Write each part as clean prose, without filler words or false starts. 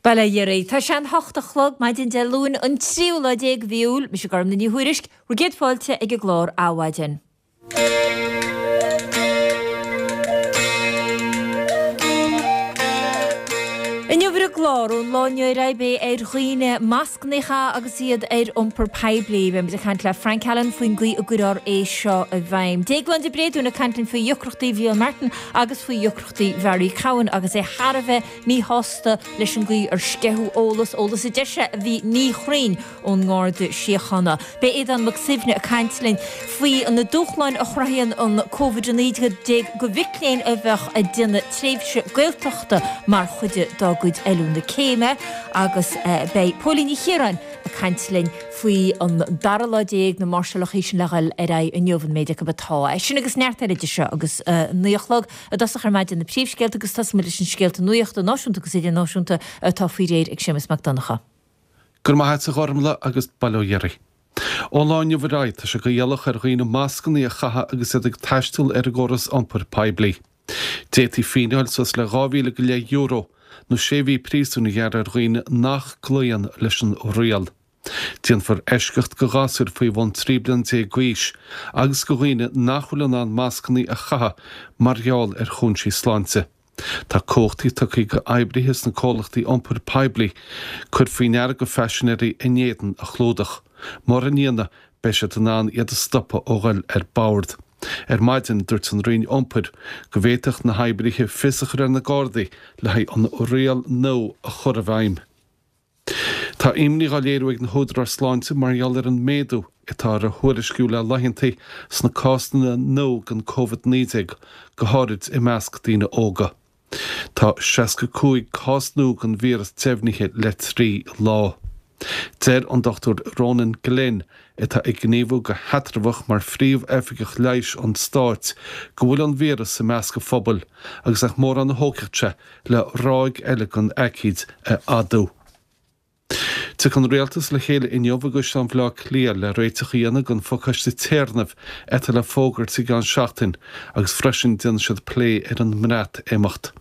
Bail ó Dhia oraibh. Tá sé an hocht a chlog, maidin Dé Luain, an tríú lá déag de mhí Iúil. Mise Gormfhlaith Ní Thuairisg, bhur gcéad fáilte ag an gclár Adhmhaidin. Inniu ar an gclár, ón lá inniu ar aghaidh beidh ar dhaoine mascanna a chaitheamh agus iad ar iompar poiblí. Beimid ag caint le Frank Allen faoin gcaoi a gcuirfear é seo i bhfeidhm. Déaglán de Bréadún ag caint linn faoi dheacrachtaí Mhícheál Martin agus faoi dheacrachtaí Bharry Cowen agus é thar a bheith míshásta leis an gcaoi ar sceitheadh eolas, eolas a deir sé a bhí míchruinn ón nGarda Síochána. Beidh Aodán Mac Suibhne ag caint linn faoi na dúshláin a chruthaíonn an Covid-19 do mhic léinn a bheadh ag déanamh tréimhse Gaeltachta mar chuid dá gcuid oiliúna céime agus beidh Póilín Ní Chiaráin ag caint linn faoi an dara lá déag na máirseálacha sin le dhul ar aghaidh inniu, an méid acu atá. Sin agus neart eile idir seo agus a naoi a chlog. I dtosach ar maidin na príomhscéalta agus tosóidh muid leis an scéalta nuachta náisiúnta agus idirnáisiúnta atá faoi réir ag Séamus Mac Donncha. Go raibh maith agat a Ghormfhlaith agus bail ó Dhia oraibh. Ón lá inniu ar aghaidh tá sé go iallach ar dhaoine mascanna a chaitheamh agus iad ag taisteal ar an gcóras iompair poiblí. D'fhéadfaí fíneáil suas le 2,000 go leith euro nó sé mhí príosúin a ghearradh ar dhaoine nach gcloíonn leis an riail. Déanfar eisceacht go ghasúir faoi bhun 13 bliana d'aois agus go dhaoine nach bhfuil in ann mascanna a chaitheamh mar gheall ar chúinsí sláinte. Tá cumhachtaí tugtha go oibrithe sna comhlachtaí iompair poiblí cur faoi ndeara go phaisinéirí a n-éadan a chlúdach. Mura ndéanann, beidh siad in ann iad a stopadh ó ghoil ar bord. Ar maidin, dúirt an Roinn Iompair go bhféadfadh na hoibrithe fios a chur ar na Gardaí le haghaidh an riail nua a chur i bhfeidhm. Tá imní á léiriú ag na húdaráis sláinte mar gheall ar an méadú atá ar a thuairisciú le laethanta sna cásanna nua den Covid-19, go háirid i measc daoine óga. Tá 65 cás nua den víreas deimhnithe le 3 lá. Deir an Dr Ronan Glynn, atá ag gníomhú go heatramhach mar Phríomh-Oifigeach Leighis an Stáit, go bhfuil an víreas i measc an phobail agus nach mórán a thógfadh sé le ráig eile den aicíd a fhadú. Tiocfaidh an Rialtas le chéile inniu i gCaisleán Bhaile Átha Cliath le réiteach a dhéanamh don phacáiste téarnaimh atá le fógairt i gceann seachtain agus freisin déanfaidh siad plé ar an mBreatimeacht.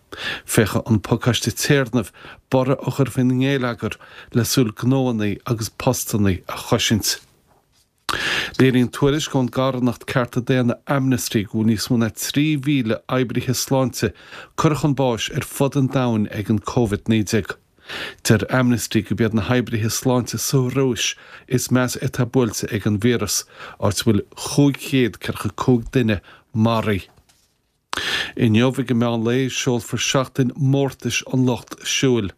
Féachfaidh an pacáiste téarnaimh borradh a chur faoin ngeilleagar le súil gnóanna agus postanna a chosaint. Léiríonn tuairisc ón gcarthanacht cearta daonna Amnesty go bhfuil níos mó ná 3,000 oibrithe sláinte curtha chun báis ar fud an domhain ag an Covid-19. Deir Amnesty gurb iad na hoibrithe sláinte sa Rúis is measa atá buailte ag an víreas, áit a bhfuil 545 duine maraithe. Inniu ag an meán lae seolfar Seachtain Mórtais an Lucht Siúil.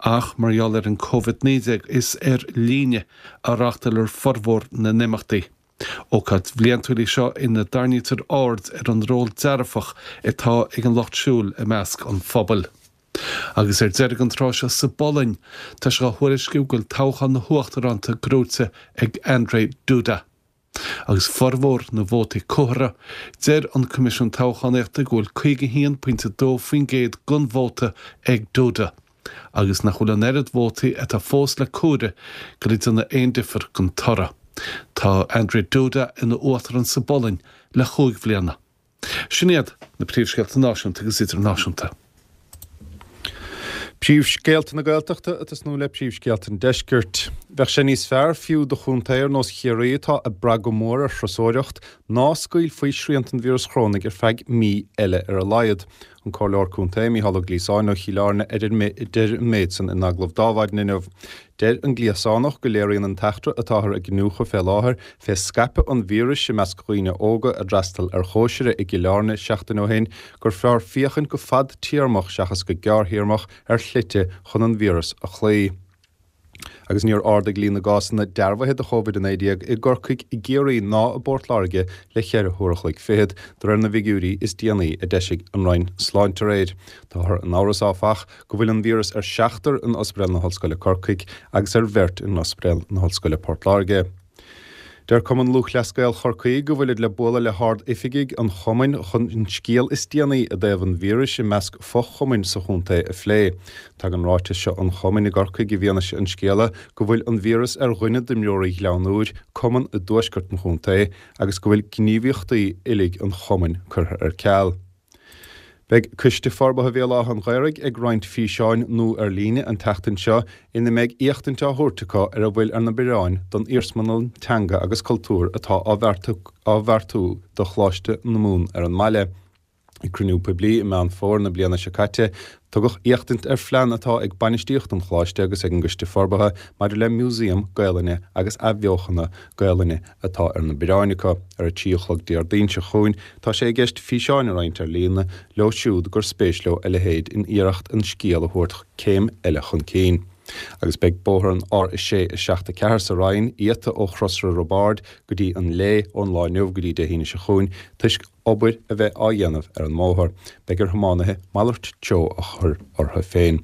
Ach mar gheall ar an Covid-19 is ar líne a reáchtálfar formhór na n-imeachtaí. Ócáid bhliantúil í seo ina dtarraingítear aird ar an ról dearfach atá ag an lucht siúil i measc an phobail. Agus ar deireadh an tráth seo sa bPolainn, tá sé á thuairisciú go bhfuil toghchán na huachtaránachta gnóite ag Andrzej Duda. Agus formhór na vótaí comhairthe, deir an Coimisiún Toghchánaíochta go bhfuil 51.2% den vóta ag Duda agus nach bhfuil an oiread vótaí atá fós le comhaireamh ag déanamh aon difear don toradh. Tá Andrzej Duda ina uachtarán sa bPolainn le chúig bhliana. Sin iad na príomhscéalta náisiúnta agus idirnáisiúnta. Príomhscéalta na Gaeltachta ag tosnú le príomhscéalta an Deiscirt. Bheadh sé níos fearr fiú do chontae ar nós Chiarraí atá ag brath go mór ar thurasóireacht ná scaoilfí srianta an víreas chorónaigh ar feadh mí eile ar a laghad. An Comhairleoir Contae Mícheál Ó Gliasáin ó Chill Airne a deir an méid san in agallamh d'Adhmhaidin inniu. Deir an Gliosánach go léiríonn an t-eachtra atáthar ag iniúchadh fé láthair fé scaipeadh an víris i measc dhaoine óga a d'fhreastail ar chóisire i gCill Airne seachtain ó shin gur fearr féachaint go fadtéarmach seachas go gearrthéarmach ar shlite chun an víreas a chloí. Agus níor ardaigh líon na gcásanna dearbhaithe de Covid-19 i gCorcaigh, i gCiarraí ná i bPort Láirge le cheithre huair a chloig fichead, de réir na bhfigiúirí is déanaí a d'eisigh an Roinn Sláinte aréir. Táthar in amhras, áfach, go bhfuil an víreas ar seachtar in Ospidéal na hOllscoile Corcaigh agus ar bheirt in Ospidéal na hOllscoile Port Láirge. Deir Cumann Lúthchleas Gael Chorcaí go bhfuilid le bualadh le hard-oifigigh an chumainn chun an scéal is déanaí i dtaobh an víris i measc fo-chumainn sa chontae a phlé. Tagann ráiteas seo an chumainn i gCorcaigh i bhfianaise an scéala go bhfuil an víreas ar dhuine d'imreoirí Ghleann Úir, cumann i dtuaisceart an chontae, agus go bhfuil gníomhaíochtaí uilig an chumainn curtha ar ceal. Beidh Coiste Forbartha Bhéal Átha an Ghaorthaidh ag roinnt físeáin nua ar líne an tseachtain seo ina mbeidh éachtaint á thabhairt acu ar a bhfuil ar na bioráin don iarsmalann teanga agus cultúir atá á bheartú do Choláiste na Mumhan ar an mbaile. Ag cruinniú poiblí i Meán Fómhair na bliana seo caite, tugadh éachtaint ar phlean atá ag bainistíocht an Choláiste agus ag an gCoiste Forbartha maidir le Músaem Gaelainne agus Athbheochana Gaelainne atá ar na bioráin acu. Ar a 3 a chlog Déardaoin seo chugainn, tá sé i gceist físeáin a roinnt ar líne leo siúd gur spéis leo a leithéid in iarracht an scéal a thabhairt céim eile chun cinn. Agus beidh bóthar an R6 7 4 sa Rinn iata ó Chrosra Roibeáird go dtí an Léith ón lá inniu go dtí Dé hAoine seo chugainn toisc obair a bheith á dhéanamh ar an mbóthar. Beidh ar thiománaithe malairt treo a chur orthu féin.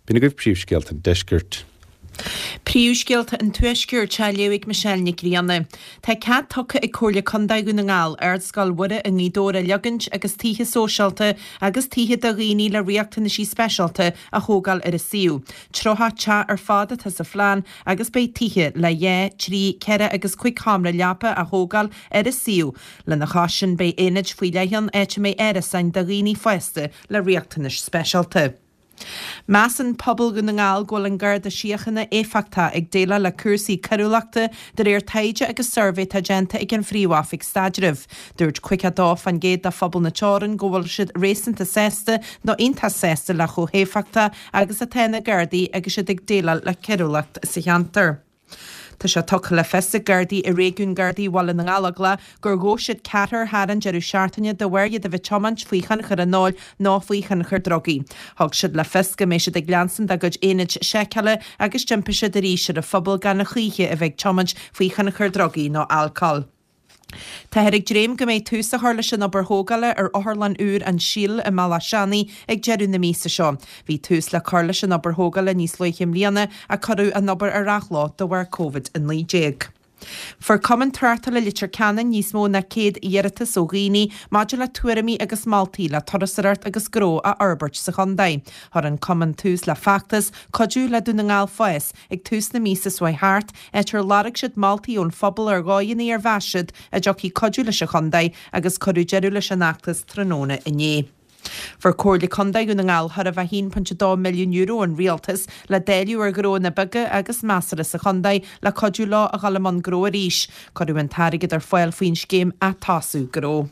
B'in agaibh príomhscéalta an deiscirt. Príomhscéalta an Tuaiscirt á léamh ag Michelle Nic Grianna. Tá cead tugtha ag Comhairle Contae Dhún na nGall Ardscoil Mhuire i nGaoth Dobhair a leogaint agus tithe sóisialta agus tithe do dhaoine le riachtanaisí speisialta a thógáil ar an suíomh. 30 teach ar fad atá sa phlean agus beidh tithe le dhá, trí, ceithre agus cuig sheomra leapa á thógáil ar an suíomh. Lena chois sin beidh aonaid faoi leith ann áit a mbeidh árasáin do dhaoine fásta le riachtanais speisialta. Measann pobal Dhún na nGall go bhfuil an Garda Síochána éifeachtach ag déileáil le cúrsaí coiriúlachta de réir taighde agus suirbhé atá déanta ag an Phríomh-Oifig Staidrimh. Dúirt 52% de phobal na teorann go bhfuil siad réasúnta sásta nó iontach sásta le chomh héifeachtach agus atá na Gardaí agus iad ag déileáil le coiriúlacht sa cheantar. Tá sé tugtha le fios ag Gardaí i réigiún Gardaí Bhaile na nGallóglach gur ghabh siad ceathrar thar an deireadh seachtaine de bharr iad a bheith tiomáint faoi thionchar an óil nó faoi thionchar drugaí. Thug siad le fios go mbeidh siad ag leanstan dá gcuid aonaid seiceála agus d'impigh siad arís ar an phobal gan a choíche a bheith ag tiomáint faoi thionchar drugaí nó alcóil. Táthar ag dréim go mbeidh tús á chur leis an obair thógála ar Otharlann úr An Síol i mBealach Seanaidh ag deireadh na míosa seo. Bhí tús le cur leis an obair thógála níos luaithe i mbliana ach cuireadh an obair ar athló de bharr Covid-19. Fuair Cumann Tráchtála Leitir Ceanainn níos mó ná 100 iarratas ó dhaoine maidir le tuairimí agus moltaí le turasóireacht agus gnó a fhorbairt sa chontae. Chuir an Cumann tús le feachtas 'Cuidiú le Dún na nGall Fás' ag tús na míosa seo thart, áit ar lorg siad moltaí ón phobal ar dhóigheanna ar mheas siad a dtiocfaidh cuidiú leis an chontae agus cuireadh deireadh leis an fheachtas tráthnóna inné. Fuair Comhairle Contae Dhún na nGall chóir a bheith €1.2 milliún ón Rialtas le dáileadh ar ghnóanna beaga agus measartha sa chontae le cuidiú leo a dhul i mbun gnó arís. Cuireadh an t-airgead ar fáil faoin scéim Atosú Gnó.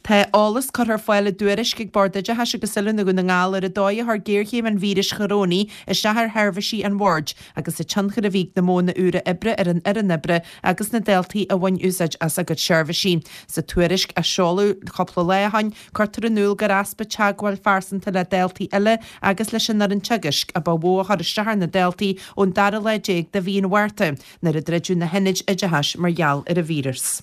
Tá eolas curtha ar fáil i dtuairisc ag Bord Oideachais agus Oiliúna Dhún na nGall ar an dóigh a chuir géarchéim an víris chorónaigh isteach ar sheirbhísí an Bhoird agus an tionchar a bhí ag na modhanna úra oibre ar an fhoireann oibre agus na daltaí a bhain úsáid as a gcuid seirbhísí. Sa tuairisc, a seoladh cúpla lá ó shin, cuirtear in iúl gur easpa teagmháil phearsanta le daltaí eile agus leis an fhoireann teagaisc a ba mhó a chuir isteach ar na daltaí ón dara lá déag de mhí an Mhárta nuair a druideadh na hionaid oideachais mar gheall ar an víreas.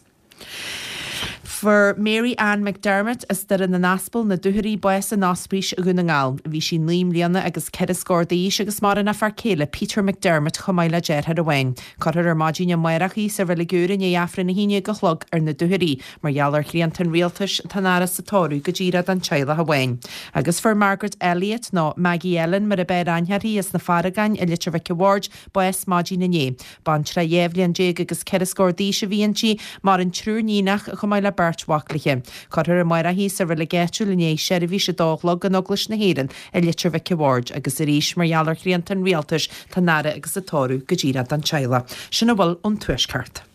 Fuair Mary Ann McDermott as Doire na nAspal, Na Dúchoraidh, bás in Ospís Dhún na nGall. Bhí sí 9 mbliana agus 4 scór d'aois agus maireann a fear céile Peter McDermott chomh maith le deartháir amháin. Cuirfear ar maidin amárach í sa Reilig Úr i ndiaidh Aifreann 11 a chlog ar na Dúchoraidh. Mar gheall ar shrianta an rialtais, tá an fhaire is an tórramh go díreach don teaghlach amháin. Agus fuair Margaret Elliott, nó Maggie Ellen mar ab fhearr aithne uirthi, as na Farragáin i Leitir Mhic a' Bhaird, bás maidin inné. Baintreach 12 bhliain agus 4 scór d'aois a bhí inti, maireann triúr níonach, chomh maith le beirt mhac léi. Cuirfear amárach í sa reilig áitiúil i ndiaidh seirbhís a dó a chlog in Eaglais na hÉireann i Leitir Mhic a' Bhaird agus arís mar gheall ar shrianta an rialtais tá an fhaire agus an tórramh go díreach don teaghlach. Sin a bhfuil ón Tuaisceart.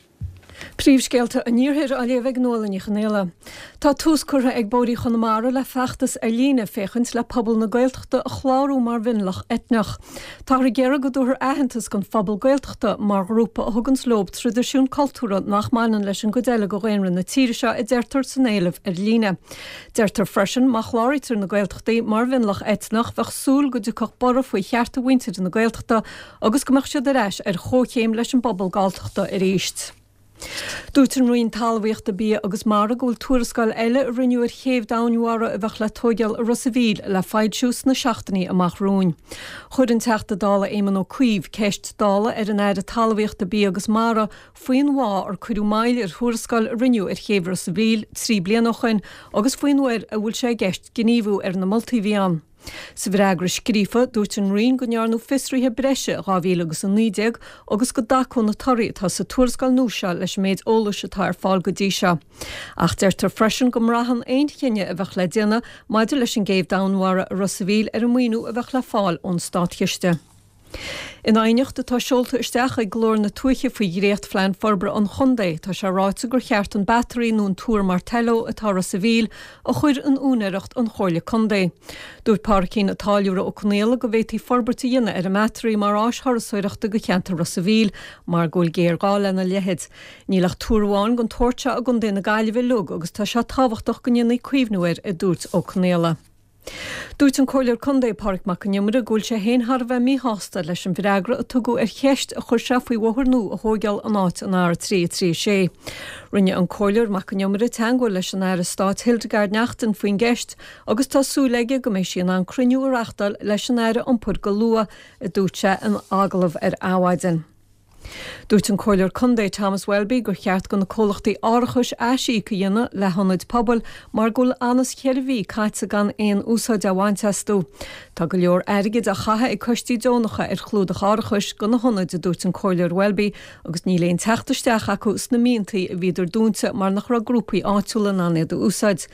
Príomhscéalta an Iarthair á léamh ag Nuala Ní Chonghaile. Tá tús curtha ag Bóithrí Chonamara le feachtas ar líne féachaint le pobal na Gaeltachta a chlárú mar mhionlach eitneach. Táthar ag iarraidh go dtabharfar aitheantas don phobal Gaeltachta mar ghrúpa a thuganns leob traidisiún cultúrtha nach mbaineann leis an gcuid eile de dhaonra na tíre seo, a deirtear san éileamh ar líne. Deirtear freisin má chláraítear na Gaeltachtaí mar mhionlach eitneach bheadh súil go dtiocfadh borradh faoi chearta mhuintir na Gaeltachta agus go mbeadh siad ar ais ar chomhchéim leis an bpobal Galltachta arís. Dúirt an Roinn Talmhaíochta, Bia agus Mara go bhfuil tuarascáil eile a rinneadh ar chéibh domhainmhara a bheadh le tóigeáil i Ros a' Mhíl le foilsiú sna seachtainí amach romhainn. Chuir an Teachta Dála Éamon Ó Cuív ceist Dála ar an Aire Talmhaíochta, Bia agus Mara faoin bhfáth ar cuireadh moill ar thuarascáil a rinneadh ar chéibh Ros a' Mhíl 3 bliana ó shoin agus faoin uair a bhfuil sé i gceist gníomhú ar na moltaí a bhí ann. Sa bhfreagra scríofa, dúirt an Roinn go ndearnadh fiosruithe breise i 2019 agus go dtacódh na torthaí atá sa tuarascáil nua seo leis an méid eolais atá ar fáil go dtí seo. Ach deirtear freisin go mbraitheann aon chinneadh a bheadh le déanamh maidir leis an gcéibh domhainmhara i Ros a' Mhíl ar an maoiniú a bheadh le fáil ón státchiste. In aighneacht atá seolta isteach ag Glór na Tuaithe faoi dhréacht-phlean forbartha an chontae, tá sé ráite gur cheart an Battery nó an Túr Martello atá i Ros a' Mhíl a chur in úinéireacht an Chomhairle Contae. Dúirt Pádraicín an Táilliúra Ó Conaola go bhféadfaí forbairt a dhéanamh ar an mBattery mar áis thurasóireachta go cheantar Ros a' Mhíl mar go bhfuil géarghá lena leithéid. Níl ach túr amháin den tsórt seo i gContae na Gaillimhe uilig agus tá sé tábhachtach go ndéanfaí caomhnú air, a dúirt Ó Conaola. Dúirt an Comhairleoir Contae Pádraig Mac Con Iomaire go bhfuil sé féin thar a bheith míshásta leis an bhfreagra a tugadh ar cheist a chuir sé faoi bhóthar nua a thóigeáil in áit an R3 3 6. Rinne an Comhairleoir Mac Con Iomaire teagmháil leis an Aire Stáit Hildegarde Naughton faoin gceist agus tá súil aige go mbeidh sí in ann cruinniú a reachtáil leis an Aire Iompair go luath, a dúirt sé in agallamh ar Adhmhaidin. Dúirt an Comhairleoir Contae Thomas Welby gur cheart go na comhlachtaí árachais aisíoc a dhéanamh le hionaid pobail mar go bhfuil anuas cheithre mhí caite gan aon úsáid á bhaint astu. Tá go leor airgid á chaitheamh ag coistí deonacha ar chlúdach árachais go na hionaid a dúirt an Comhairleoir Welby agus níl aon teacht isteach acu sna míontaí a bhíodar dúnta mar nach raibh grúpaí áitiúla in ann iad a úsáid.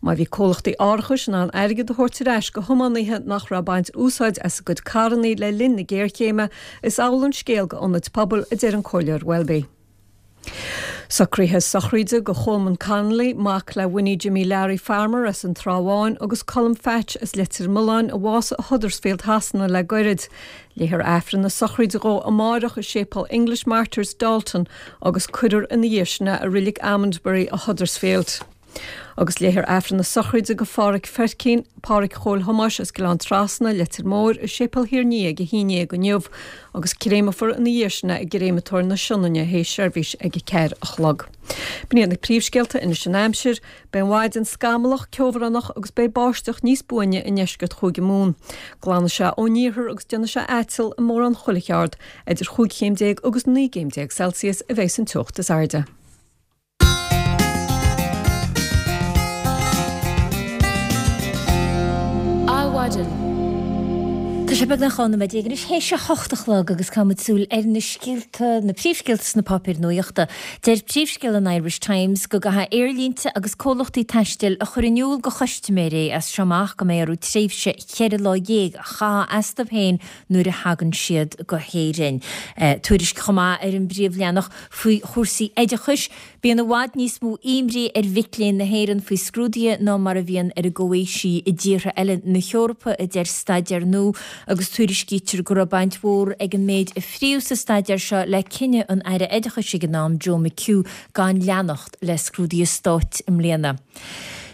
Má bhí comhlachtaí árachais in ann airgead a thabhairt ar ais go thiománaithe nach raibh ag baint úsáid as a gcuid carrannaí le linn na géarchéime, is amhlaidh an scéal go ionaid pobail, a deir an Comhairleoir Welby. Socruithe sochraide go Cholman Connolly, mac le Winnie Jimmy Larry Farmer as an Trá Bháin agus Colm Phatch as Leitir Mealláin a bhásaigh i Huddersfield Shasana le goirid. Léifear Aifreann na sochraide dhó amáireach i Séipéal English Martyrs, Dalton agus cuirfear ina dhiaidh sin é i Reilig Almondbury i Huddersfield. Agus léifear Aifreann na sochraide go Pháraic Pheircín, Páraic Chóil Thomáis as Gleann Trasna, Leitir Móir, i Séipéal Thír an Fhia ag a haon dhéag inniu agus créamfar ina dhiaidh sin é i gCréamatóir na Sionainne théis seirbhís ag a ceathair a chlog. B'in iad na príomhscéalta anois an aimsir. Beidh an mhaidin scamallach, ceobhránach agus beidh báisteach níos buaine i ndeisceart Chúige Mumhan. Glanfaidh sé ón iarthar agus déanfaidh sé aiteal i mórán chuile cheard. Idir chúig chéim déag agus 19 gcéim Celsius a bheas an teocht is airde. Adhmhaidin. Tá sé beagnach 12 nóiméad anois théis a hocht a chlog agus caithfimid súil ar na scéalta, na príomhscéalta sna páipéir nuachta. Deir príomhscéal an Irish Times go gcaithfidh aerlínte agus comhlachtaí taistil a chur in iúl do chustaiméirí as seo amach go mbeidh orthu tréimhse cheithre lá dhéag a chaitheamh astu féin nuair a thagann siad go hÉirinn. Tuairisc chomh maith ar an bpríomhleathanach Faoi chúrsaí oideachais, bíonn i bhfad níos mó imní ar mhic léinn na hÉireann faoi scrúduithe ná mar a bhíonn ar a gcomhaoisigh i dtíortha eile na hEorpa, a deir staidéar nua, agus tuairiscítear go raibh baint mhór ag an méid a fríodh sa staidéar seo le cinneadh an Aire Oideachais ag an am, Joe McHugh, gan leanacht le scrúduithe stáit i mbliana.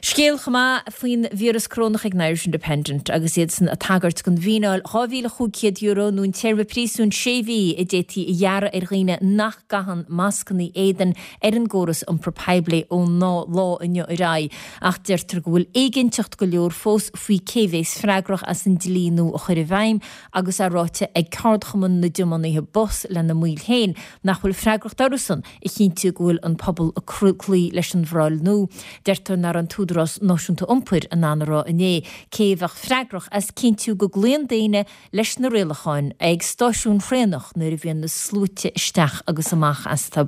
Scéal chomh maith faoin víreas corónach ag an Irish Independent agus iadsan ag tagairt don bhfíneáil €2,500 nó an téarma príosúin sé mhí a d'fhéadfaí a ghearradh ar dhaoine nach gcaitheann mascanna éadain ar an gcóras iompar poiblí ón lá inniu ar aghaidh. Ach deirtear go bhfuil éiginnteacht go leor fós faoi cé bhéas freagrach as an dlí nua a chur i bhfeidhm agus é ráite ag ceardchumann na dtiománaithe bus lena mbaill féin nach bhfuil freagracht orthusan a chinntiú go bhfuil an pobal ag cloí leis an bhforáil nua. Deirtear nach raibh an tÚdarás Náisiúnta Iompair in ann a rá inné cé a bheadh freagrach as cinntiú go gcloíonn daoine leis na rialacháin ag stáisiúin thraenach nuair a bhíonn na sluaite isteach agus amach astu.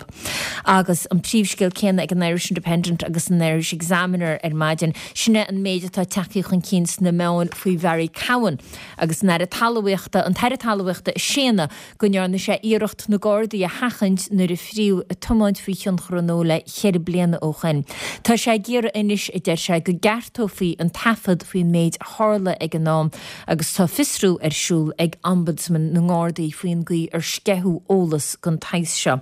Agus an príomhscéal céanna ag an Irish Independent agus an Irish Examiner ar maidin, sin é an méid atá tagtha chun cinn sna meáin faoi Bharry Cowen agus an Aire Talmhaíochta, an tAire Talmhaíochta ag séanadh go ndearna sé iarracht na Gardaí a sheachaint nuair a fríodh ag tiomáint faoi thionchar an óil é cheithre bliana ó shoin. Tá sé ag iarraidh anois, a deir sé, go gceartófaí an taifead faoin méid a tharla ag an am agus tá fiosrú ar siúl ag Ombudsman na nGardaí faoin gcaoi ar sceitheadh eolas den tsaghas seo.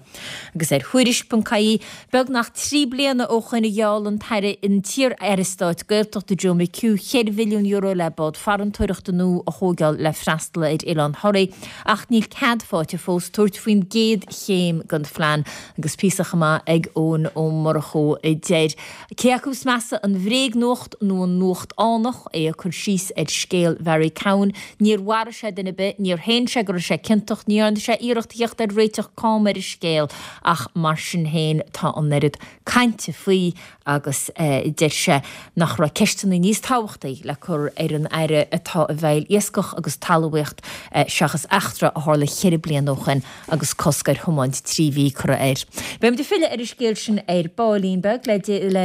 Agus ar Thuairisc.ie, Beagnach 3 bliana ó shoin a gheall an tAire an t-iar-Aire Stáit Gaeltachta Joe McHugh €4 mhilliún le bád farantóireachta nua a thóigeáil le freastal ar Oileán Thoraí ach níl cead faighte fós tabhairt faoin gcéad chéim den phlean agus píosa chomh maith ag Eoin Ó Murchú a deir cé acu is measa an. bhréagnuacht nó an nuacht fhánach, é ag cur síos ar scéal Bharry Cowen. Níor mharaigh sé duine ar bith, níor shéan sé go raibh sé ciontach, ní dhearna sé iarracht a theacht ar réiteach cam ar an scéal ach mar sin féin tá an oiread cainte faoi agus deir sé nach raibh ceisteanna níos tábhachtaí le cur ar an Aire atá i bhfeighil iascach agus talmhaíocht seachas eachtra a tharla cheithre bliana ó shoin agus cosc ar thiomáint 3 mhí curtha air. Beimid ag filleadh ar an scéal sin ar baillín beag le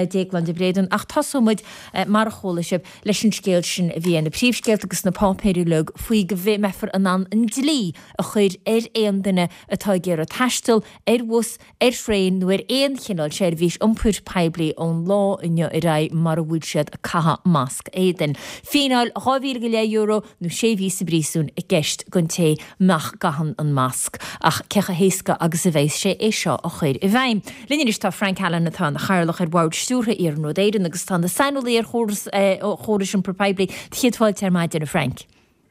Déaglán de Bréadún ach tosóidh muid, mar a chuala sibh, leis an scéal sin a bhí ar na príomhscéalta agus sna páipéir uilig faoi go mbeifear in ann an dlí a chur ar aon duine atá ag iarraidh taisteal ar bhus, ar thraein nó ar aon chineál seirbhís iompair poiblí ón lá inniu ar aghaidh mara bhfuil siad ag caitheamh masc éadain. Fíneáil €2,000 go leith nó sé mhí sa bpríosún i gceist don té nach gcaitheann an masc. Ach cé chomh héasca agus a bheas sé é seo a chur i bhfeidhm? Linn anois tá Frank Allen atá ina chathaoirleach ar Bhord Stiúrtha Iarnród Éireann agus atá ina saineolaí ar chórais iompair poiblí. Do chéad fáilte ar maidin, a Frank.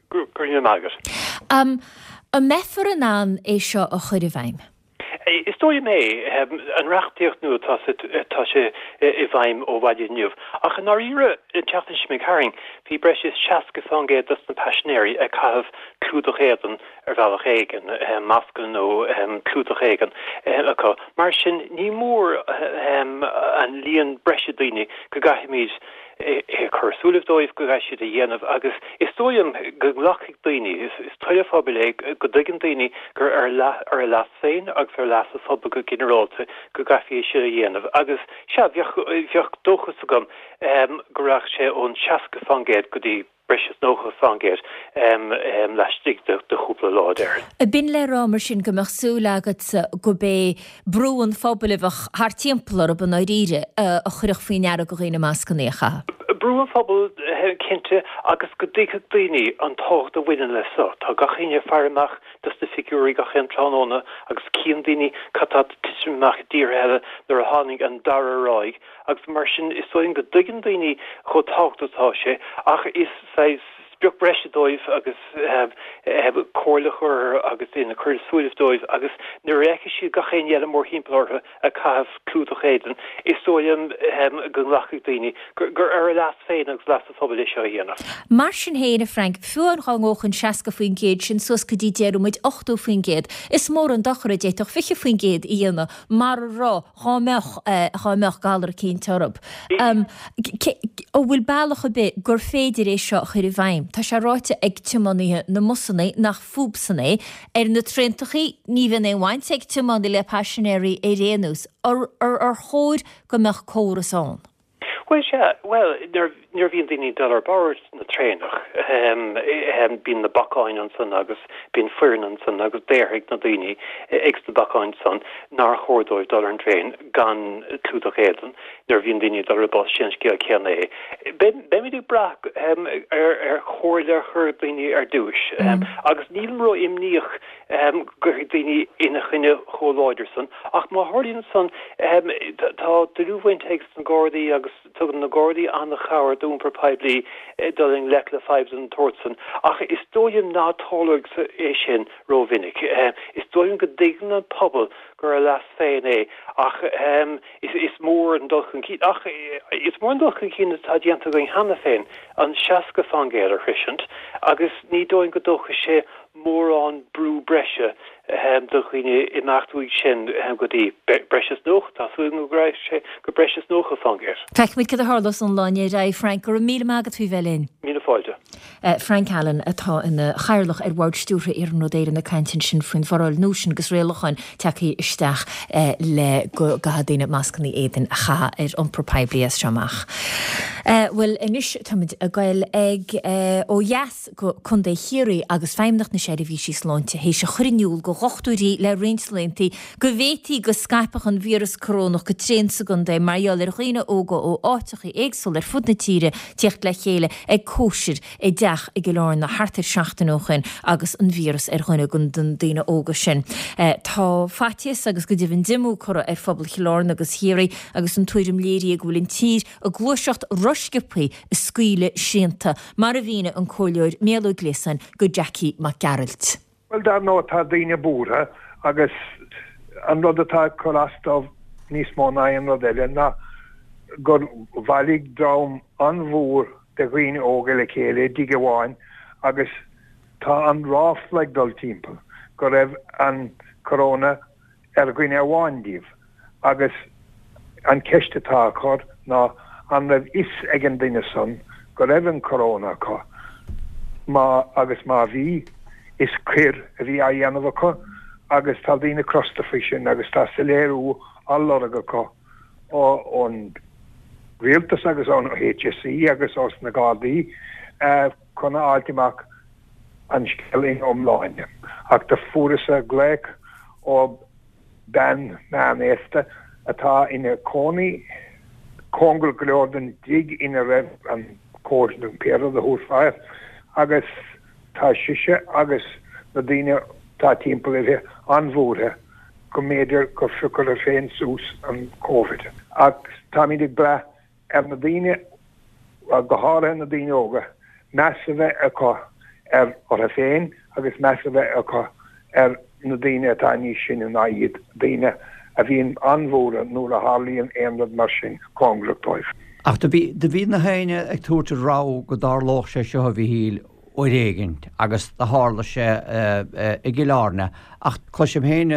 Go raibh maith agat. An mbeifear in ann é seo a chur i bhfeidhm? Is dóigh liom é. An reachtaíocht nua, tá tá sé i bhfeidhm ó mhaidin inniu. Ach i ndáiríre, an tseachtain seo imigh tharainn, bhí breis is 60% dos na paisinéirí ag caitheamh clúdach éadain ar bhealach éigin, mascanna nó clúdach éigin acu. Mar sin, ní mór an líon breise daoine go gcaithfimid é cur i súilibh dóibh go gcaithfidh siad a dhéanamh agus is dóigh liom go nglacfaidh daoine, is toil an phobail é, go dtuigeann daoine gur ar ar a leas féin agus ar leas an phobail go ginearálta go gcaithfí é sin a dhéanamh agus sea, bheadh, bheadh dóchas agam go raghadh sé ón 60% go dtí breis is 90% laistigh de chúpla lá, déarfainn. B'in le rá mar sin go mbeadh súil agatsa go b'é brú an phobail a bheadh thart timpeall orthu i ndáiríre a chuirfeadh faoi ndeara do dhaoine mascanna a chaitheamh? Brú an phobail, cinnte, agus go dtuigfeadh daoine an tábhacht a bhaineann leis seo. Tá gach éinne ag faire amach dos na figiúirí gach aon tráthnóna agus cíonn daoine cad tá ag titim amach i dtíortha eile nuair a tháinig an dara ráig agus mar sin is dóigh liom go dtuigeann daoine chomh tábhachtach atá sé ach is saghas sprioc breise dóibh agus comhairle a chur agus ina cur i súilibh dóibh agus nuair a fheicfidh siad gach éinne eile mórthimpeall orthu ag caitheamh clúdach éadain is dóigh liom go nglacfaidh daoine gur ar a leas féin agus leas an phobail é seo a dhéanamh. Mar sin féin, a Frank, fiú amháin dá ngabhfadh an 60% sin suas go dtí déarfaidh muid 80%, is mór an dochar a d'fhéadfadh 20% a dhéanamh mar a raibh dhá mbeadh, dhá mbeadh galar eicínt orthu. An bhfuil bealach ar bith gur féidir é seo a chur i bhfeidhm? Tá sé ráite ag tiománaithe na mbusanna nach fúbsan é. Ar na traentachaí, ní bhíonn aon bhaint ag tiománaí le paisinéirí ar aon nós. Ar chóir go mbeadh córas ann? Bhuel, sea. Bhuel, nuair a bhíonn daoine ag dul ar bord na traenach, bíonn na bacáin ansan agus bíonn foireann ansan agus déarfaidh na daoine ag sna bacáin san nár chóir dóibh dul ar an dtraein gan clúdach éadain. Nuair a bhíonn daoine ag dul ar an bus, sé an scéal céanna é. Beimid ag brath ar chomhairle a chur daoine ar dtúis agus nílim ró-imníoch go gcuirfidh daoine ina choinne chomh láidir san. Ach má tharlaíonn san, tá dlúthbhaint ag na Gardaí agus tugann na Gardaí an-chabhair d'iompar poiblí dul i ngleic le fadhb den tsórt san. Ach is dóigh liom ná tarlóidh é sin rómhinic. Is dóigh liom go dtuigeann an pobal gur ar a leas féin é ach is mór an dul chun cinn, ach is mór an dul chun cinn atá déanta againn cheana féin, an 60% a shroisint agus ní dóigh liom go dtógfaidh sé mórán brú breise do dhaoine imeacht uaidh sin go dtí breis is 90, tá súil agam go rachaidh sé go breis is 90%. Feicfimid cad a tharlós ón lá inniu ar aghaidh, Frank. Go raibh míle maith agat faoi bheith linn. Míle fáilte. Frank Allen atá ina chathaoirleach ar Bhord Stiúrtha Iarnród Éireann ag caint ansin faoin bhforáil nua sin agus rialacháin tagtha isteach le go gcaithfidh daoine mascanna éadain a chaitheamh ar iompar poiblí as seo amach. Bhuel anois táimid ag goil ag ó dheas. go Contae Chiarraí agus Feidhmeannacht na Seirbhísí Sláinte théis a chur in iúl go dhochtúirí le roinnt laethanta go bhféadfaí go scaipfeadh an víreas corónach go tréan sa gcontae mar gheall ar dhaoine óga ó áiteacha éagsúla ar fud na tíre tíocht le chéile ag cóisir i dteach i gCill Airne thart ar seachtain ó shoin agus an víreas ar dhuine den daoine óga sin. Tá faitíos agus go deimhin diomú curtha ar phobal Chill Airne agus Chiarraí agus an tuairim léirithe go bhfuil an tír ag gluaiseacht rosciobtha ag scaoileadh srianta, mar a mhínigh an Comhairleoir Mícheál Ó Gliasáin go Jackie Mac Gearailt. Bhuel, dar ndóigh, tá daoine buartha agus an rud atá ag cur as dóibh níos mó ná aon rud eile ná. gur bhailigh dream an-mhór de dhaoine óga le chéile i dtigh amháin agus tá an ráfla ag dul timpeall go raibh an corona ar dhuine amháin díobh agus an cheist atá á cur ná an raibh fhios ag an duine san go raibh an corona acu má agus má bhí is coir a bhí á dhéanamh acu agus tá daoine crosta faoi sin agus tá soiléiriú á lorg acu ón rialtas agus ón HSE agus ós na Gardaí chun a fháilt amach an scéal ina iomláine. Ach do fuaireas-sa glaoch ó bean meánaosta atá ina cónaí cóngarach go leor don dtigh ina raibh an cóisir nó pé rud a thabharfá air agus tá sise agus na daoine atá timpeall uirthi an-bhuartha go mb'fhéidir gur phioc uirthi féin suas an Covid. Ach táimid ag brath ar na daoine, go háirithe na daoine óga, meas a bheith acu ar orthu féin agus meas a bheith acu ar na daoine atá níos sine ná iad, daoine a bhíonn an-bhuartha nuair a tharlaíonn aon rud mar sin cóngarach dóibh. Ach do bhí, do bhí na héinne ag tabhairt rabhadh go dtarlódh sé seo, a Mhíchíl, uair éigint agus do tharla sé i gCill Airne. Ach cloisim féin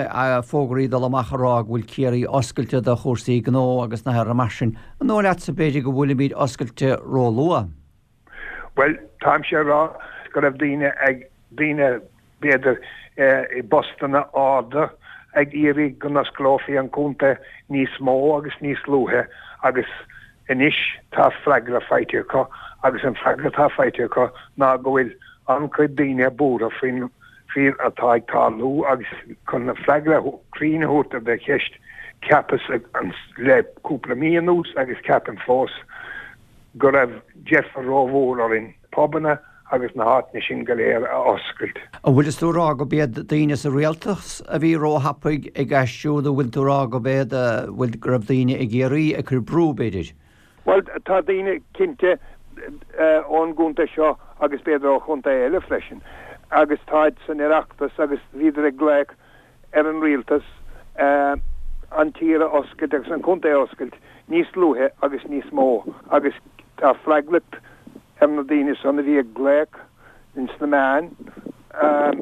fógraí ag dul amach ag rá go bhfuil Ciarraí oscailte do chúrsaí gnó agus nithe mar sin. An dóigh leatsa b'fhéidir go bhfuilimid oscailte róluath? Bhuel, táimse ag rá go raibh daoine ag, daoine b'fhéidir i bpostanna arda ag iarraidh go n-osclófaí an contae níos mó agus níos luaithe agus anois tá freagra faighte acu agus an freagra atá faighte acu ná go bhfuil an-chuid daoine buartha faoin faoi atá ag tarlú agus chun an freagra cruinn a thabhairt ar do cheist cheapas le cúpla mí anuas agus ceapaim fós go raibh deifir rómhór orainn pubanna agus na háiteanna sin go léir a oscailt. An bhfuil tú ag rá go b'iad daoine sa rialtas a bhí róthapaidh ag aistriú nó bhfuil tú ag rá go b'iad, bhfuil, go raibh daoine i gCiarraí ag cur brú, b'fhéidir? Bhuel, tá daoine cinnte ón gcontae seo agus b'fhéidir ó chontae eile freisin agus táid san Oireachtas agus bhíodar ag glaoch ar an rialtas an tír a oscailt agus an contae a oscailt níos luaithe agus níos mó agus tá freagracht ar na daoine san a bhí ag glaoch ins na meáin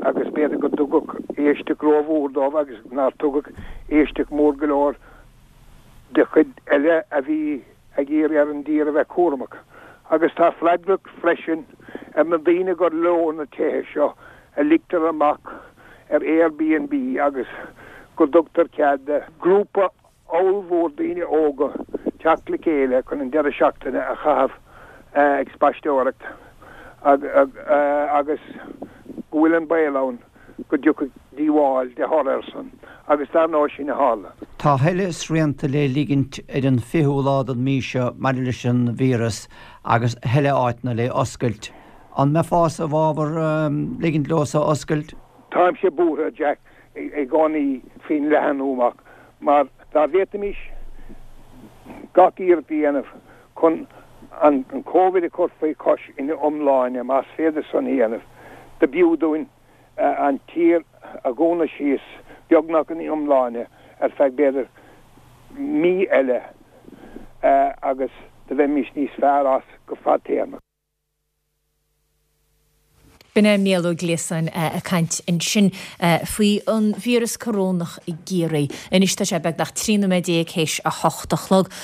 agus b'fhéidir go dtugadh éisteacht rómhór dóibh agus nár tugadh éisteacht mór go leor do chuid eile a bhí ag iarraidh ar an dtír a bheith cúramach. Agus tá freagracht freisin ar na daoine gur leo na tithe seo a ligtear amach ar Airbnb agus go dtugtar cead do ghrúpa ollmhór daoine óga teacht le chéile chun an deireadh seachtaine a chaitheamh ag spaisteoireacht agus go bhfuil an baol ann go dtiocfaidh díobháil de thoradh air san agus dar ndóigh sin a tharla. Tá a thuilleadh srianta le ligint ar an 20ú lá den mhí seo maidir leis an víreas agus a thuilleadh áiteanna le oscailt. An mbeifeása i bhfabhar ligint leo so oscailt? Táimse buartha, Jack, i gcónaí faoin leathnú amach mar dá bhféadfaimis gach iarracht a dhéanamh chun an Covid a chur faoi chois ina iomláine, más féidir san a dhéanamh, do b'fhiú dúinn an tír a dhúnadh síos beagnach ina iomláine ar feadh b'fhéidir mí eile agus do bheimis níos fearr as go fadtéarmach. B'in é Mícheál Ó Gliasáin ag caint ansin faoi an víreas corónach i gCiarraí. Anois tá sé beagnach 13 nóiméad théis a hocht a chlog.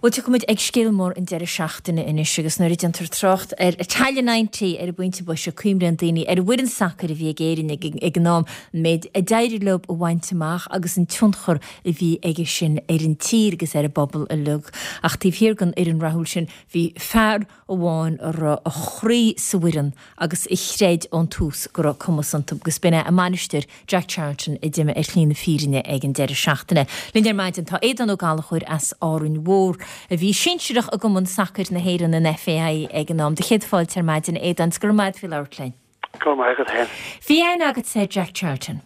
Bhuel, tiocfaidh muid ag scéal mór an deireadh seachtaine anois agus nuair a déantar trácht ar Italia 90 ar an bpointe boise cuimhníonn daoine ar an bhfoireann sacair a bhí ag Éirinn ag an am, an méid a d'éirigh leo a bhaint amach agus an tionchar a bhí aige sin ar an tír agus ar an bpobal uilig. Ach taobh thiar den fhoireann rathúil sin bhí fear amháin a raibh a chroí sa bhfoireann agus a chreid ón tús go raibh cumas iontu agus b'in é a mbainisteoir Jack Charlton a d'imigh ar shlí na fírinne ag an deireadh seachtaine. Linn ar maidin tá Aodán Ó Gallchóir as Árainn Mhór a bhí sinsearach i gCumann Sacair na hÉireann, an FAI, ag an am. Do chéad fáilte ar maidin, a Aodáin, 's go raibh maith agat faoi labhairt linn. Go raibh maith agat féin. Bhí aithne agatsa ar Jack Charlton?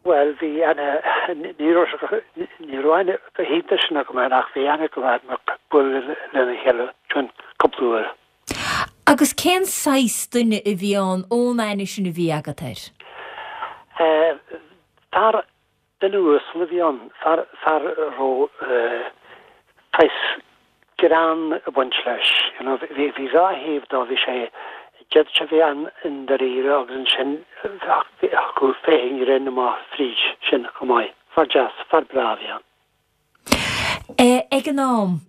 Bhuel, bhí aithne, ní raibh, ní raibh aithne go hiontach sin agam air ach bhí aithne go leor mar bualadh lena chéile sin cúpla uair. Agus cén saghas duine a bhí ann ón aithne sin a bhí agat air? Eh, fear, duine uasal a bhí ann, fear, fear a raibh, eh, saghas. greann ag baint leis. You know, bhí bhí dha thaobh dó, bhí sé, d'fhéadfadh sé bheith an-ndáiríre agus ansin thiocfadh féith an ghrinn amach fríd sin chomh maith. Fear deas, fear breá a bhí ann. Ag an am,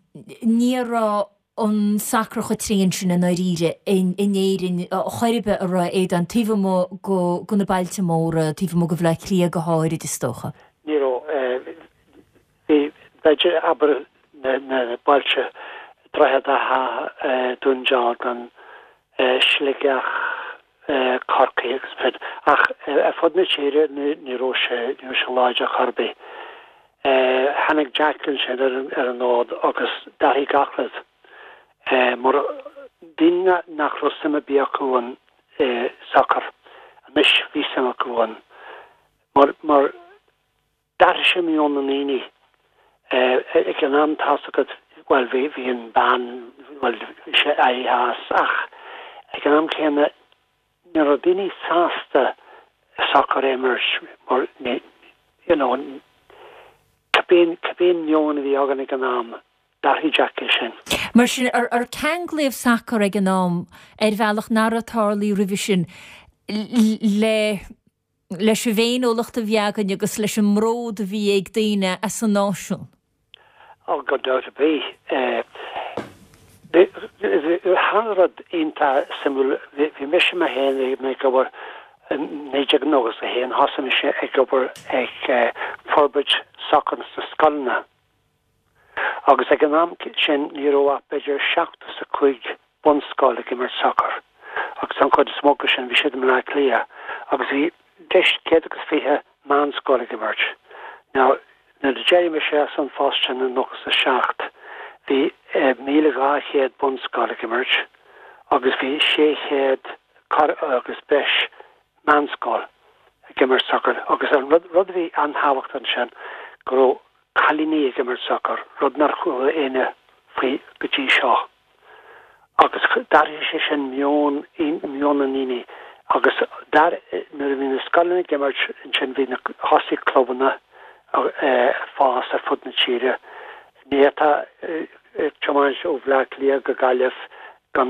ní raibh an sacar chomh tréan sin i ndáiríre in Éirinn chor ar bith, an raibh, a Aodáin, taobh amuigh de na bailte móra, taobh amuigh de Bhaile Átha Cliath go háirid, is dócha. Ní raibh. Bhí, b'fhéidir, abair, na bailte, Droichead Átha, Dún Dealgan, Sligeach, Corcaigh agus sin, ach ar fud na tíre ní raibh sé, ní raibh sé láidir chor ar bith. Tháinig Jack ansin ar an fhód agus d'athraigh gach rud. Mar daoine nach raibh suim ar bith acu ann i sacar, anois bhí suim acu ann. Mar, mar. D'athraigh sé meon na ndaoine. Ag an am tá's agat, bhuel bhí, bhí an ban, bhuel bhí sé éirithe as ach ag an am céanna ní raibh daoine sásta sacar a imirt mar ní, you know, cibé, cibé an meon a bhí againn ag an am, d'athraigh Jack é sin. Mar sin, ar ceanglaíodh sacar ag an am ar bhealach nach raibh tarlaithe roimhe sin le leis an bhféiniúlacht a bhí againn agus leis an mbród a bhí ag daoine as an náisiún. Ó, gan dabht ar bith. Tharla rud iontach suimiúil. Bhí mise mé féin ag mé ag obair in 1991, thosaigh mise ag obair ag forbairt sacar sna scoileanna. Agus ag an am sin ní raibh ach b'fhéidir 75 bunscoil ag imirt sacair agus an chuid is mó acu sin bhí siad i mBleá Cliath agus bhí breis 120 meánscoil ag imirt. Now nuair a d'éirigh mise as an phost sin i 97 bhí 1,200 bunscoil ag imirt agus bhí 600 agus breis meánscoil ag imirt sacair agus an rud a bhí an-tábhachtach ansin go raibh cailíní ag imirt sacair, rud nár chuala éinne faoi go dtí seo. Agus d'athraigh sé sin meon, meon na ndaoine agus nuair a bhí na scoileanna ag imirt ansin bhí na, thosaigh clubanna ag fás ar fud na tíre. Ní fhéadfá tiomáint ó Bhleá Cliath go Gaillimh gan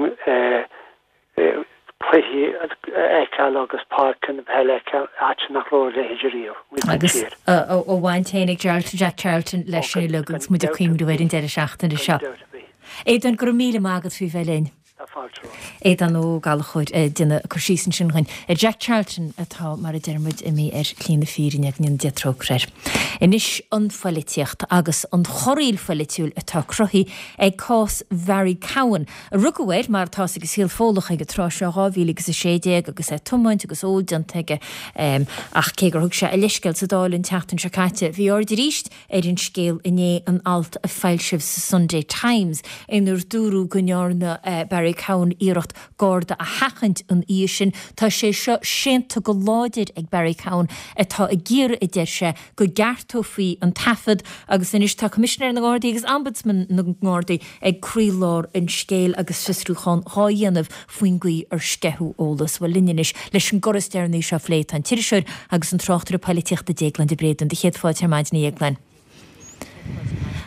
cluichí a fheiceáil agus páirceanna peile a fheiceáil, áit nach raibh a leithéid riamh amuigh sa tír. Agus a bhaint féin ag Jack Charlton leis sin uilig agus muid ag cuimhniú ar an deireadh seachtaine seo. Aodán, go raibh míle maith agat faoi bheith linn. Tá fáilte romhat. Aodán Ó Gallchóir ag déanamh cur síos ansin dhúinn ar Jack Charlton atá, mar a deir muid, imithe ar shlí na fírinne, go ndéana Dia trócaire air. Anois an phoilitíocht agus an chorraíl pholaitiúil atá cruthaithe ag cás Bharry Cowen, a rugadh air, mar atá fhios ag an saol Fódhlach ag an tráth seo, 2016 agus é ag tiomáint agus ól déanta aige. Ach cé gur thug sé a leithscéal sa Dáil an tseachtain seo caite, bhí aird arís ar an scéal i ndiaidh an alt a foilsíodh sa Sunday Times inar dúradh go ndearna Barry Cowen iarracht Garda a sheachaint an oíche sin. Tá sé seo séanta go láidir ag Barry Cowen atá ag iarraidh, a deir sé, go gceartófaí an taifead agus anois tá Coimisinéir na nGardaí agus Ombudsman na nGardaí ag croílár an scéil agus fiosrúchán dhá dhéanamh faoin gcaoi ar sceitheadh eolas. Bhuel, linn anois leis an gcor is deireanaí seo a phlé tá an t-iriseoir agus an tráchtaire poilitíochta Déaglán de Bréadún. Do chéad fáilte ar maidin, a Dhéagláin.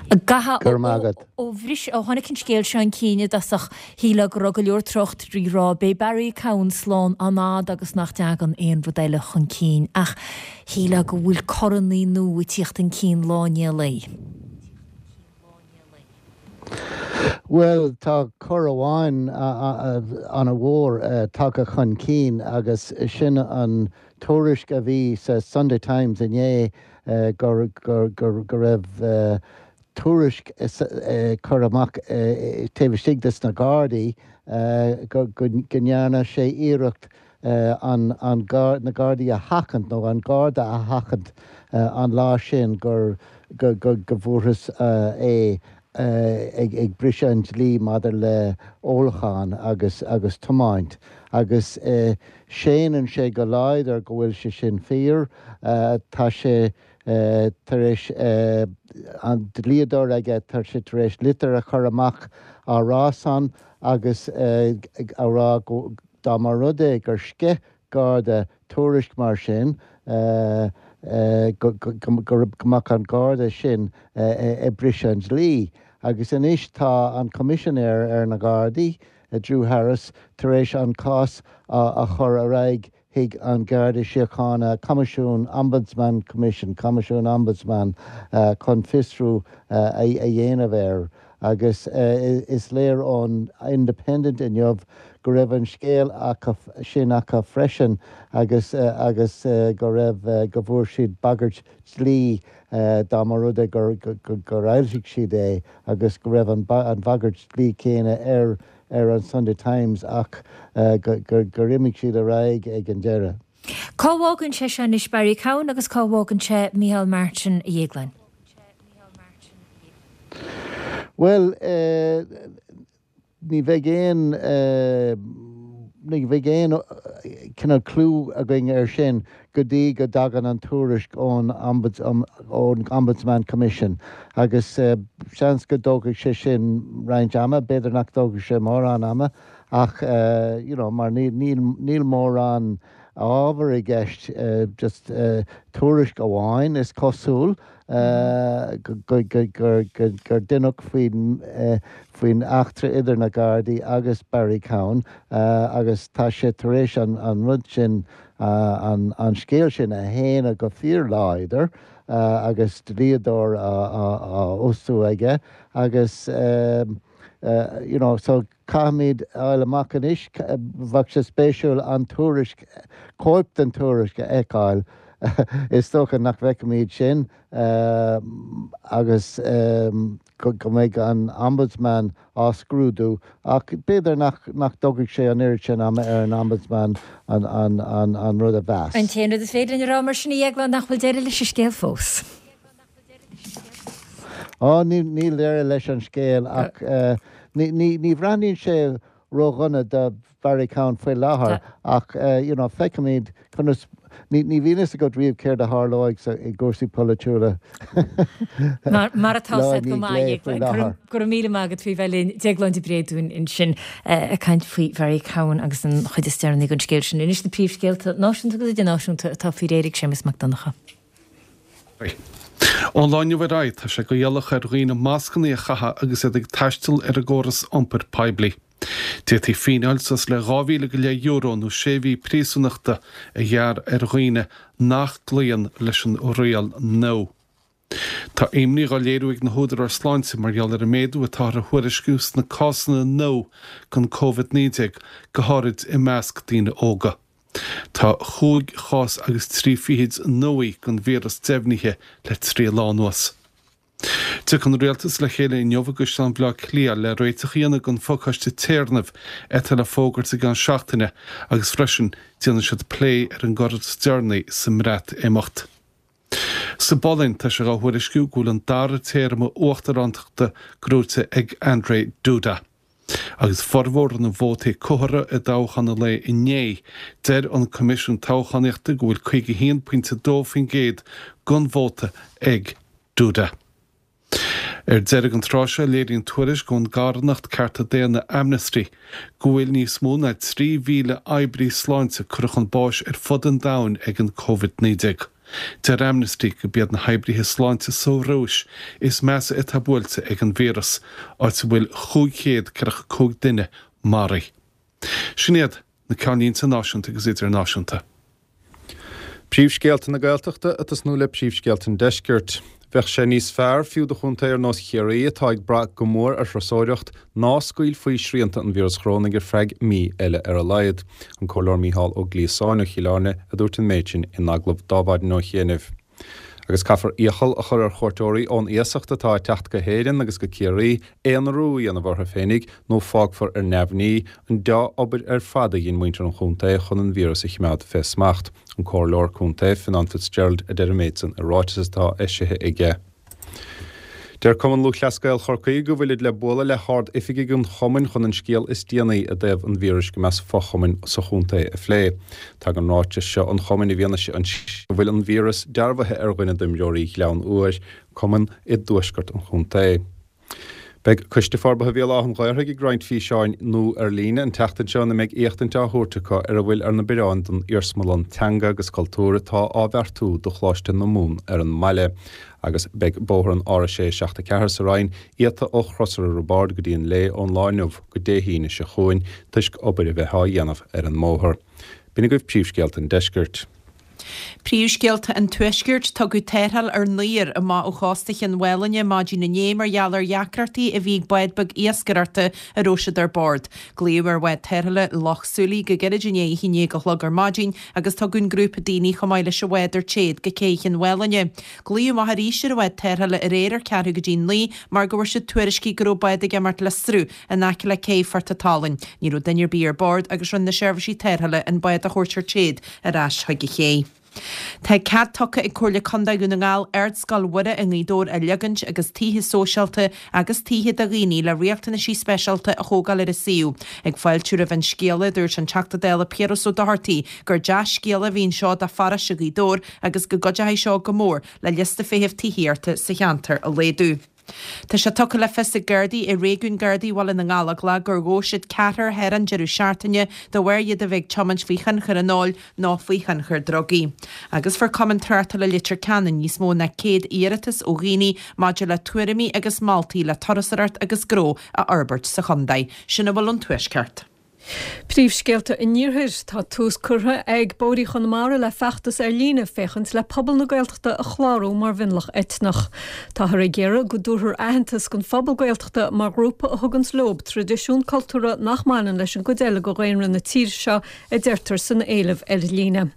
Go raibh maith agat. Ó bhris, ó tháinig an scéal seo chun cinn i dtosach, shílfeá go raibh go leor tráchtairí ag rá, beidh Barry Cowen slán an-fhada agus nach dtagann aon rud eile chun cinn. Ach shílfeá go bhfuil corannaí nua ag tíocht chun cinn lá i ndiaidh lae. Bhuel, tá cor amháin an-mhór tagtha chun cinn agus sin an tuairisc a bhí sa Sunday Times inné go raibh tuairisc curtha amach taobh istigh de sna Gardaí go ndearna sé iarracht an na Gardaí a sheachaint nó an Garda a sheachaint an lá sin gur go bhfuarthas é ag briseadh an dlí maidir le ólachán agus agus tiomáint agus séanann sé go láidir go bhfuil sé sin fíor. Tá sé tar éis an dlíodóir aige, tá sé tar éis litir a chur amach á rá san agus á rá go Dá mba rud é gur sceith Garda tuairisc mar sin, go mbeadh an Garda sin ag briseadh an dlí. Agus anois tá an Coimisinéir ar na Gardaí, Drew Harris, tar éis an cás a chur ar aghaidh chuig an Garda Síochána, Coimisiún Ombudsman Commission, Coimisiún Ombudsman, chun fiosrú a dhéanamh air. Agus is léir ón Independent inniu go raibh an scéal acu sin acu freisin agus agus go raibh, go bhfuair siad bagairt dlí dá mba rud é gur fhoilsigh siad é agus go raibh an bhagairt dlí céanna ar ar an Sunday Times ach gur imigh siad ar aghaidh ag an deireadh. Cá bhfágann sé seo anois Barry Cowen agus cá bhfágann sé Micheál Martin, a Dhéagláin? Bhuel, ní bheidh aon, ní bheidh aon cineál clue againn air sin go dtí go dtagann an tuairisc ón Ombudsman Commission agus seans go dtógfaidh sé sin roinnt ama, b'fhéidir nach dtógfaidh sé mórán ama ach you know mar níl mórán ábhar i gceist, just tuairisc amháin is cosúil gur deineadh faoin eachtra idir na Gardaí agus Barry Cowen agus tá sé tar éis an rud sin an scéal sin a shéanadh go fíorláidir agus dlíodóir á fhostú aige agus you know so caithfimid a fháil amach anois, bheadh sé spéisiúil an tuairisc, cóip den tuairisc a fheiceáil, is dócha nach bhfeicfimid sin agus go mbeidh an Ombudsman á scrúdú ach b'fhéidir nach dtógfaidh sé an oiread sin ama ar an Ombudsman an rud a mheas. An t-aon rud is féidir linn a rá mar sin, a Dhéagláin, nach bhfuil deireadh leis an scéal fós. Á, níl deireadh leis an scéal ach ní bhreathnaíonn sé ródhona do Barry Cowen faoi láthair ach you know feicfimid conas, ní bhíonn fhios agat riamh céard a tharlóidh i gcúrsaí polaitiúla. Mar atá said go maith, a Dhéagláin. Go raibh míle maith agat faoi bheith linn. Déaglán de Bréadún ansin ag caint faoi Bharry Cowen agus an chuid is deireanaí den scéal sin. Anois na príomhscéalta náisiúnta agus idirnáisiúnta atá faoi réir ag Séamus Mac Donncha. Ón lá inniu ar aghaidh, tá sé go iallach ar dhaoine mascanna a chaitheamh agus iad ag taisteal ar an gcóras iompair poiblí. D'fhéadfaí fíneáil suas le €12,000 nó sé mhí príosúnachta a ghearradh ar dhaoine nach gcloíonn leis an riail nua. Tá imní dhá léiriú ag na húdaráis sláinte mar gheall ar an méadú atáthar a thuairisciú sna cásanna nua den Covid-19, go háirid i measc daoine óga. Tá chúig chás agus trí fichid nua den víreas deimhnithe le 3 lá anuas. Tiocfaidh an Rialtas le chéile inniu i gCaisleán Bhaile Átha Cliath le réiteach a dhéanamh don phacáiste téarnaimh atá le fógairt i gceann seachtaine agus freisin déanfaidh siad plé ar an gcor is deireanaí sa mBreatimeacht. Sa bPolainn, tá sé dhá thuairisciú go bhfuil an dara téarma uachtarántachta gnóite ag Andrzej Duda. Agus formhór na vótaí comhartha i dtoghchán an lae inné, deir an Coimisiún Toghchánaíochta go bhfuil 51.2% den vóta ag Duda. Ar deireadh an tráth seo, léiríonn tuairisc ón gcarthanacht cearta daonna Amnesty go bhfuil níos mó ná 3,000 oibrí sláinte curtha chun báis ar fud an domhain ag an Covid-19. Deir Amnesty go b'iad na hoibrithe sláinte sa Rúis is measa atá buailte ag an víreas, áit a bhfuil 545 duine maraithe. Sin iad na ceannlínte náisiúnta agus idirnáisiúnta. Príomhscéalta na Gaeltachta ag tosnú le príomhscéalta an Deiscirt. Bheadh sé níos fearr fiú do chontae ar nós Chiarraí atá ag brath go mór ar thurasóireacht ná scaoilfí srianta an víreas chorónaigh ar feadh mí eile ar a laghad. An Comhairleoir Mícheál Ó Gliasáin ó Chill Airne a dúirt an méid sin in agallamh d'Adhmhaidin ó chianaibh. Agus caithfear iachall a chur ar chuairteoirí ón iasacht atá ag teacht go hÉirinn agus go Ciarraí aonarú a dhéanamh orthu féinig nó fágfar ar neamhní an deá-obair ar fad a dhein muintir an chontae chun an víreas a chimeád fé smacht. An Comhairleoir Contae, Fionnán Fitzgerald a deir an méid san i ráiteas atá eisithe aige. Deir Cumann Lúthchleas Gael Chorcaí go bhfuilid le bualadh le hard-oifigigh an chumainn chun an scéal is déanaí i dtaobh an víris go measc fo-chumainn sa chontae a phlé. Tagann ráiteas seo an chumainn i bhfianaise an go bhfuil an víreas dearbhaithe ar dhuine d'imreoirí Ghleann Iúir, cumann i dtuaisceart an chontae. Beidh Coiste Forbartha Bhéal Átha an Ghaorthaidh ag roinnt físeáin nua ar líne an tseachtain seo ina mbeidh éachtaint á thabhairt acu ar a bhfuil ar na bioráin don iarsmalann teanga agus cultúir atá á bheartú do Choláiste na Mumhan ar an mbaile. Agus beidh bóthar an R6 74 sa Rinn iata ó Chrosaire Roibeárd go dtí an Léith ón lá inniu go Dé hAoine seo chugainn toisc obair a bheith á dhéanamh ar an mbóthar. B'in agaibh príomhscéalta an deiscirt. Príomhscéalta an Tuaiscirt, Tugadh tarrtháil ar naoir amach ó chósta Chionn Mhálanna maidin inné mar gheall ar dheacrachtaí a bhí ag bád beag iascaireachta a raibh siad ar bord. Glaodh ar bhád tarrthála Loch Súilí go gairid i ndiaidh a haon déag a chlog ar maidin agus tugadh an grúpa daoine chomh maith leis an bhád ar téad go cé Chionn Mhálanna. Glaodh amach arís ar an bhád tarrthála aréir ar ceathrú go dtí naoi mar go bhfuair siad tuairiscí go raibh bád ag imeacht le sruth in aice le cé Phort a' tSalainn. Ní raibh duine ar bith ar bord agus rinne na seirbhísí tarrthála an bád a thabhairt ar téad ar ais chuig an ché. Tá cead tugtha ag Comhairle Contae Dhún na nGall Ardscoil Mhuire i nGaoth Dobhair a leagaint agus tithe sóisialta agus tithe do dhaoine le riachtanaisí speisialta a thógáil ar an suíomh. Ag fáiltiú roimh an scéala, dúirt an Teachta Dála Piaras Ó Dochartaigh gur dea-scéala a bhí anseo do pharóiste Ghaoth Dobhair agus go gcuideoidh seo go mór le liosta feithimh tithíochta sa cheantar a laghdú. Tá sé tugtha le fios ag Gardaí i réigiún Gardaí Bhaile na nGallóglach gur ghabh siad ceathrar thar an deireadh seachtaine de bharr iad a bheith ag tiomáint faoi thionchar an óil nó faoi thionchar drugaí. Agus fuair Cumann Tráchtála Leitir Ceanainn níos mó ná 100 iarratas ó dhaoine maidir le tuairimí agus moltaí le turasóireacht agus gnó a fhorbairt sa chontae. Sin a bhfuil ón Tuaisceart. Príomhscéalta an Iarthair, Tá tús curtha ag Bóithrí Chonamara le feachtas ar líne féachaint le pobal na Gaeltachta a chlárú mar mhionlach eitneach. Táthar ag iarraidh go dtabharfar aitheantas don phobal Gaeltachta mar ghrúpa a thuganns leob traidisiún cultúrtha nach mbaineann leis an gcuid eile de dhaonra na tíre seo, a deirtear san éileamh ar líne.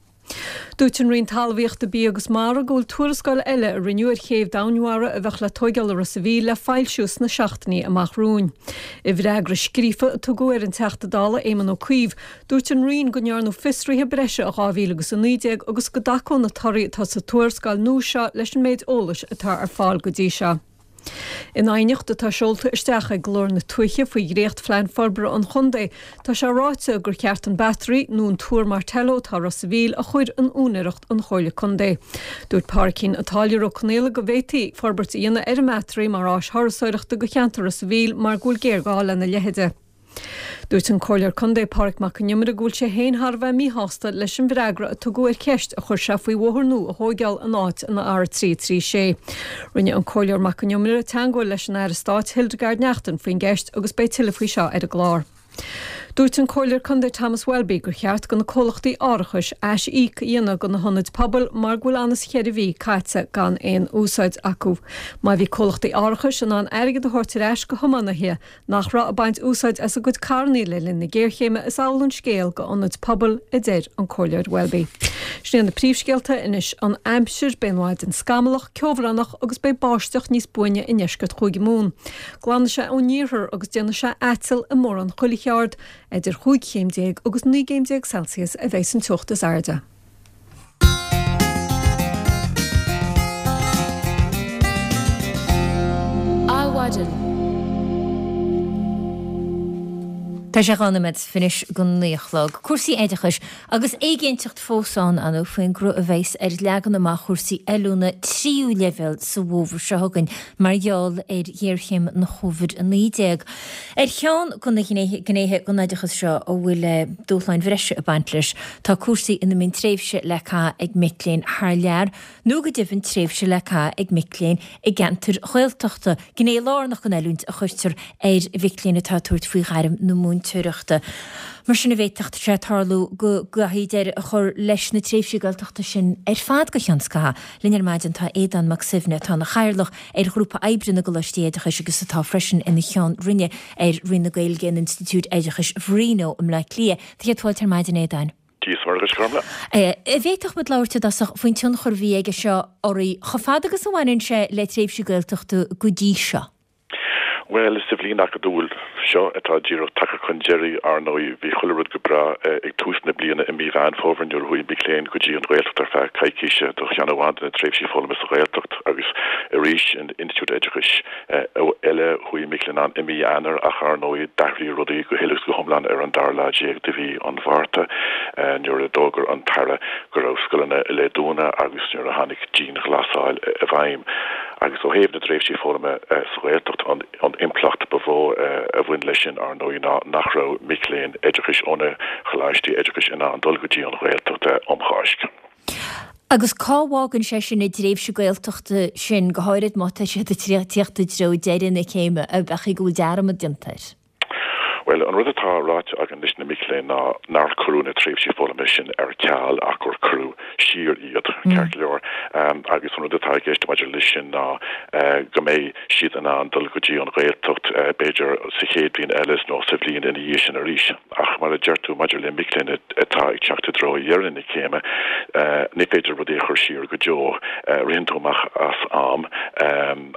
Dúirt an Roinn Talmhaíochta, Bia agus Mara go bhfuil tuarascáil eile a rinneadh ar chéibh domhainmhara a bheadh le tóigeáil i Ros a' Mhíl le foilsiú sna seachtainí amach romhainn. I bhfreagra scríofa a tugadh ar an Teachta Dála Éamon Ó Cuív, dúirt an Roinn go ndearnadh fiosruithe breise i 2019 agus go dtacódh na torthaí atá sa tuarascáil nua seo leis an méid eolais atá ar fáil go dtí seo. In aighneacht atá seolta isteach ag Glór na Tuaithe faoi dhréacht-phlean forbartha an chontae, tá sé ráite gur cheart an Battery, nó an Túr Martello atá i Ros a' Mhíl, a chur in úinéireacht an Chomhairle Contae. Dúirt Pádraicín an Táilliúir Ó Conaola go bhféadfaí forbairt a dhéanamh ar an mBattery mar áis thurasóireachta do cheantar Ros a' Mhíl mar go bhfuil géarghá lena leithide. Dúirt an Comhairleoir Contae Pádraig Mac Con Iomaire go bhfuil sé féin thar a bheith míshásta leis an bhfreagra a tugadh ar cheist a chuir sé faoi bhóthar nua a thóigeáil in áit an R336. Rinne an Comhairleoir Mac Con Iomaire teangmháil leis an Aire Stáit Hildegarde Naughton faoin gceist agus beidh tuilleadh faoi seo ar an gclár. Dúirt an Comhairleoir Contae Thomas Welby gur cheart do na comhlachtaí árachais ais-íoc a dhéanamh do na hionaid pobail mar go bhfuil ann is cheithre mhí caite gan aon úsáid acu. Má bhí comhlachtaí árachais in ann airgead a thabhairt ar ais go thiománaithe nach raibh ag baint úsáid as a gcuid carrannaí le linn na géarchéime, is amhlaidh an scéal go ionaid pobail, a deir an Comhairleoir Welby. Sin iad na príomhscéalta anois. An aimsir, beidh an mhaidin scamallach, ceobhránach agus beidh báisteach níos buaine i ndeisceart Chúige Mumhan. Glanfaidh sé ón iarthar agus déanfaidh sé aiteal i mórán chuile cheard. Idir chúig chéim déag agus 19 gcéim Celsius a bheidh san teocht is airde. Adhmhaidin. Tá sé 12 nóiméad anois go 9 a chlog. Cúrsaí oideachais agus éiginnteacht fós ann ann faoin gcruth a bheas ar leagan amach chúrsaí oiliúna tríú leibhéal sa bhfómhar seo chugainn mar gheall ar ghéarchéim na Covid-19. Ar cheann de na gnéithe den oideachas seo a bhfuil dúshláin bhreise ag baint leis, tá cúrsaí ina mbíonn tréimhse le caitheamh ag mic léinn thar lear, nó go deimhin tréimhse le caitheamh ag mic léinn i gceantair Ghaeltachta, gné lárnach den oiliúint a chuirtear ar mhic léinn atá ag tabhairt faoi ghairm na múinteoireachta. Mar sin, an bhféadfadh sé tarlú go gcaithfí deireadh a chur leis na tréimhsí Gaeltachta sin ar fad go ceann scaithimh. Linn ar maidin tá Aodán Mac Suibhne, atá ina chathaoirleach ar Ghrúpa Oibre na gColáistí Oideachais agus atá freisin ina Cheann Roinne ar Roinn na Gaeilge in Institiúid Oideachais Mharino i mBleá Cliath. Tá céad fáilte ar maidin, a Aodáin. Dia is Muire dhuit, a Ghormfhlaith. An bhféadfadh muid labhairt i dtosach faoin tionchar a bhí aige seo oraibh chomh fada agus a bhaineann sé le tréimhsí Gaeltachta go dtí seo? Bhuel, sa bhliain acadúil seo atá díreach tagtha chun deiridh, ar ndóigh, bhí chuile rud go breá ag tús na bliana i mí Mheán Fómhair nuair a chuaigh mic léinn go dtí an Ghaeltacht ar feadh coicíse do cheann amháin de na tréimhsí foghlama sa Ghaeltacht agus arís in institiúid oideachais eile chuaigh mic léinn ann i mí Eanáir ach ar ndóigh d'athraigh rudaí go huile is go hiomlán ar an dara lá déag de mhí an Mhárta nuair a d'fhógair an tAire go raibh scoileanna le dúnadh agus nuair a tháinig dianghlasáil i bhfeidhm. Agus ó thaobh na dtréimhsí foghlama sa Ghaeltacht, an impleacht ba mhó a bhain leis sin, ar ndóigh, ná nach raibh mic léinn oideachais ó na choláistí oideachais in ann dul go dtí an Ghaeltacht um Cháisc. Agus cá bhfágann sé sin an dtréimhse Gaeltachta sin, go háirid má tá siad ag tíocht i dtreo deireadh na céime, ab é go bhfuil dearmad déanta air? Bhuel, an rud atá ráite againn leis na mic léinn ná nár cuireadh na tréimhsí foghlama sin ar ceal ach gur cuireadh siar iad, ceart go leor. Agus an rud atá i gceist maidir leis sin ná go mbeidh siad in ann dul go dtí an Ghaeltacht b'fhéidir sa chéad bhliain eile nó sa bhliain ina dhiaidh sin arís. Ach mar a deir tú, maidir le mic léinn atá ag teacht i dtreo dheireadh na céime, ní féidir rudaí a chur siar go deo, ritheann tú amach as am.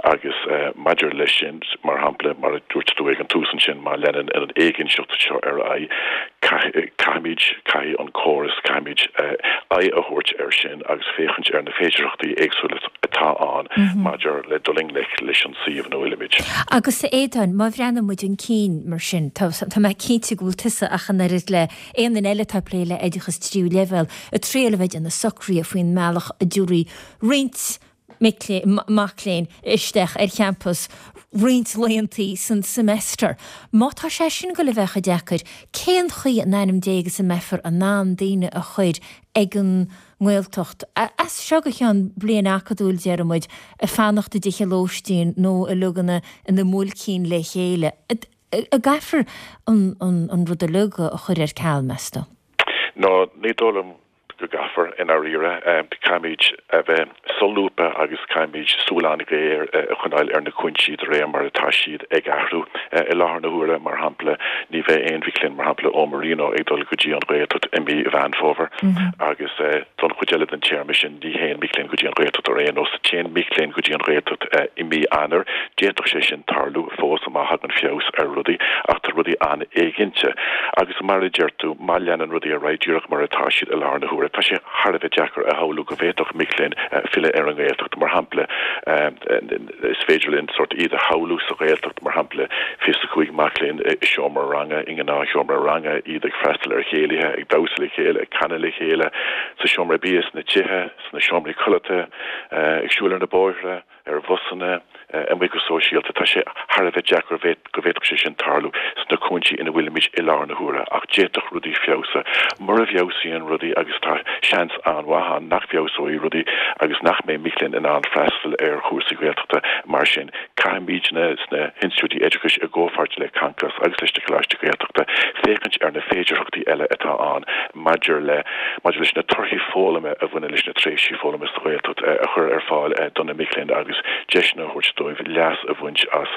Agus maidir leis sin, mar shampla, mar a dúirt tú ag an tús ansin, má leanann an éiginnteacht seo ar aghaidh, caithfimid, caithfidh an córas, caithfimid aghaidh a thabhairt air sin agus féachaint ar na féidearthachtaí éagsúla atá ann maidir le dul i ngleic leis an suíomh ina bhfuilimid. Agus a Aodáin, má bhreathnaíonn muid chun cinn mar sin, tá mé cinnte go bhfuil tusa ach an oiread le aon duine eile atá ag plé le oideachas tríú leibhéal, ag triail a bheith ag déanamh socruithe faoin mbealach a dtabharfaí roinnt mic léinn isteach ar champas roinnt laethantaí san semester. Má tá sé sin ag goil a bheith chomh deacair, cén chaoi in ainm Dé agus a mbeifear in ann daoine a chur ag an nGaeltacht, as seo go ceann bliain acadúil, déarfaidh muid, ag fanacht i dtithe lóistín nó uilig ina ina mbuailcín le chéile? An gcaithfear an rud uilig a chur ar ceal, meas tú? No, ní dóigh liom go gcaithfear, i ndáiríre. Caithfimid a bheith solúbtha agus caithfimid súil an-ghéar a choinneáil ar na cúinsí de réir mar atá siad ag athrú. I láthair na huaire, mar shampla, ní bheidh aon mhic léinn, mar shampla, ó Marino ag dul go dtí an Ghaeltacht i mí Mheán Fómhair agus don chuid eile den téarma sin ní théann mic léinn go dtí an Ghaeltacht ar aon nós. Téann mic léinn go dtí an Ghaeltacht i mí Eanáir. D'fhéadfadh sé sin tarlú fós má thagann feabhas ar rudaí ach tá rudaí an-éiginnte agus mar a deir tú, má leanann rudaí ar aghaidh díreach mar atá siad i láthair na huaire, tá sé thar a bheith deacair a shamhlú go bhféadfadh mic léinn filleadh ar an nGaeltacht. Mar shampla, is féidir linn sórt iad a shamhlú sa Ghaeltacht, mar shampla, 25 mac léinn i seomra ranga, i ngnáthsheomra ranga, iad ag freastal ar chéilithe, ag damhsa le chéile, ag canadh le chéile, sa seomra bia, sna tithe, sna seomraí codlata, ag siúl ar na bóithre. ar bhusanna, amuigh go sóisialta. Tá sé thar a bheith deacair go bhféadfadh sé sin tarlú sna cúinsí ina bhfuilimid i láthair na huaire, ach d'fhéadfadh rudaí feabhsú. Mura bhfeabhsaíonn rudaí, agus tá seans an-mhaith ann nach bhfeabhsóidh rudaí agus nach mbeidh mic léinn in ann freastal ar chúrsaí Gaeltachta mar sin, caithfimidne sna hinstitiúidí oideachais i gcomhpháirt le Concos agus leis na Coláistí Gaeltachta féachaint ar na féidearthachtaí eile atá ann maidir le maidir leis na torthaí foghlama a bhaineann leis na tréimhsí foghlama sa Ghaeltacht a chur ar fáil do na mic léinn agus deiseanna a thabhairt dóibh leas a bhaint as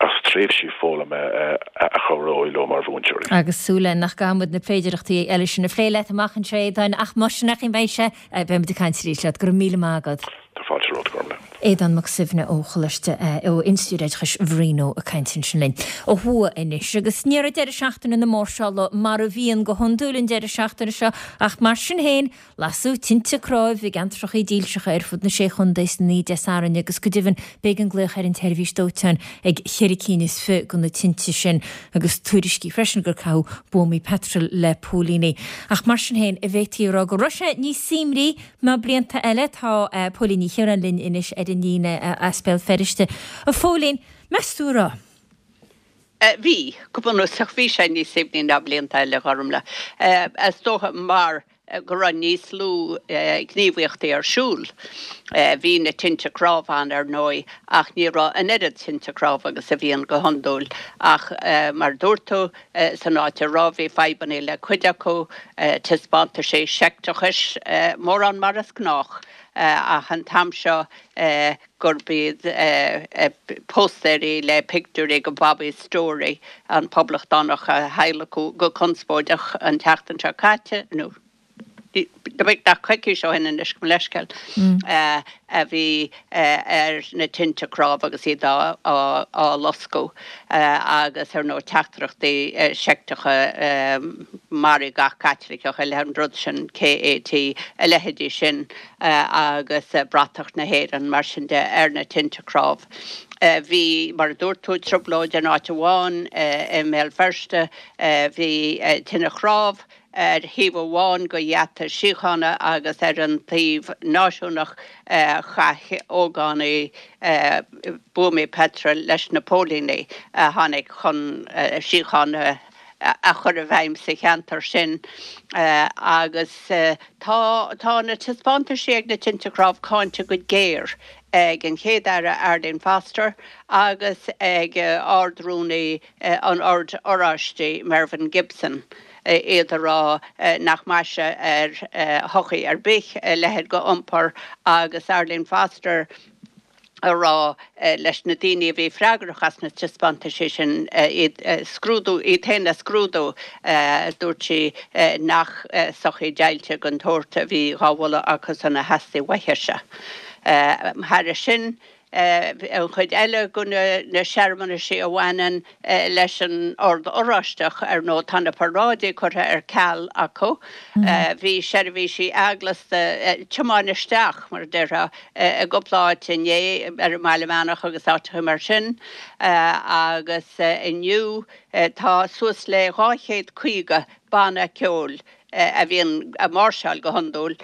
as tréimhsí foghlama a chabhróidh leo mar mhúinteoirí. Agus súil againn nach gcaithfidh muid na féidearthachtaí eile sin a phlé leat amach anseo, a Aodáin, ach más sin é beidh sé, beidh muid ag caint arís leat. Go raibh míle maith agat. Tá fáilte romhat, Gormlaith. Aodán Mac Suibhne ó Choláiste, ó Institiúid Oideachais Mharino ag caint ansin linn. Ó thuaidh anois, agus ní raibh deireadh seachtaine na máirseála mar a bhíonn go hiondúil an deireadh seachtaine seo, ach mar sin féin, lasadh tinte cnámh i gceantracha dílseacha ar fud na Sé Chontae san oíche Dé Sathairn agus go deimhin b'éigean glaoch ar an tseirbhís dóiteáin ag cheithre cinn is fi de na tinte sin agus tuairiscí freisin gur caitheadh buamaí peitril le póilíní. Ach mar sin féin, an bhféadfaí a rá go raibh sé níos suaimhní Ná blianta eile. Tá Póilín Ní Chiaráin linn anois ar an líne as Béal Feirste. A Phóilín, meas tú an raibh? Bhí, go bunúsach bhí sé níos suaimhní ná blianta eile, a Ghormlaith. Is dócha mar go raibh níos lú gníomhaíochtaí ar siúl. Bhí na tinte cnámh ann, ar ndóigh, ach ní raibh an oiread tinte cnámh agus a bhíonn go hiondúil. Ach mar a dúirt tú, San áit a raibh, bhí fadhbanna le cuid acu, taispeántaisí seicteachais, mórán mar is gnách, ach an t-am seo gurb iad póstaeirí le pictiúirí de Bobby Storey, an poblachtánach a hadhlacadh go conspóideach an tseachtain seo caite, nó. Beagnach coicís ó shin anois, gabh mo leithscéal, a bhí ar na tinte cnámh agus iad á loscadh agus ar ndóigh teachtaireachtaí seicteacha maraigh gach Caitliceach, an rud sin, KAT, a leithéidí sin agus bratach na hÉireann mar sin de ar na tinte cnámh. Bhí, mar a dúirt tú, trioblóid in áit amháin i mBéal Feirste, bhí tine chnámh. Ar thaobh amháin de gheata síochána agus ar an taobh náisiúnach chaith ógánaigh buamaí peitril leis na póilíní a tháinig chun síocháin a chur i bhfeidhm sa cheantar sin agus tá tá na taispeántaisí ag na Tinte Chnámh cáinte go géar ag an Chéad-Aire Arlene Foster agus ag Ard-Rúnaí an Oird Oráistigh Mervyn Gibson, iad ag rá nach maise ar shochaí ar bith a leithéid de iompar agus Arlene Foster ag rá leis na daoine a bhí freagrach as na taispeántaisí sin iad a scrúdú, iad féin a scrúdú. Dúirt sí nach sochaí deighilte den tsórt a bhí dhá mholadh acusan a theastaigh uaithise. Thairis sin, An chuid eile de na searmanaisí a bhaineann leis an Ord Oráisteach, ar ndóigh, tá na paráidí curtha ar ceal acu. Bhí seirbhísí eaglasta tiomáin isteach, mar a déarfá, i gcúpla áit inné, ar an mBaile Meánach agus áiteacha mar sin, agus inniu tá suas le 250 banna ceoil a bhíonn ag máirseáil go hiondúil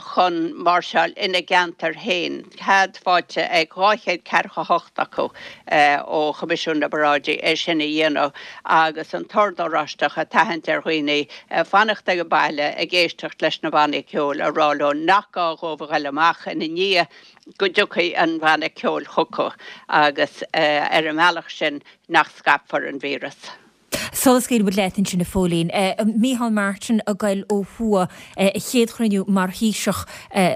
chun máirseáil ina gceantar féin, cead faighte ag 248 acu ó Choimisiún na bParáidí é sin a dhéanamh agus an tOrd Oráisteach ag tathant ar dhaoine fanacht ag baile ag éisteacht leis na bannaí ceoil, ag rá leo nach gá dhóibh a ghoil amach ina ndiaidh go dtiocfaidh an banna ceoil chucu agus ar an mbealach sin nach scaipfear an víreas. Sula scaoilfidh muid leat ansin a Phóilín, Micheál Martin ag goil ó thuaidh, a chéad chruinniú mar Thaoiseach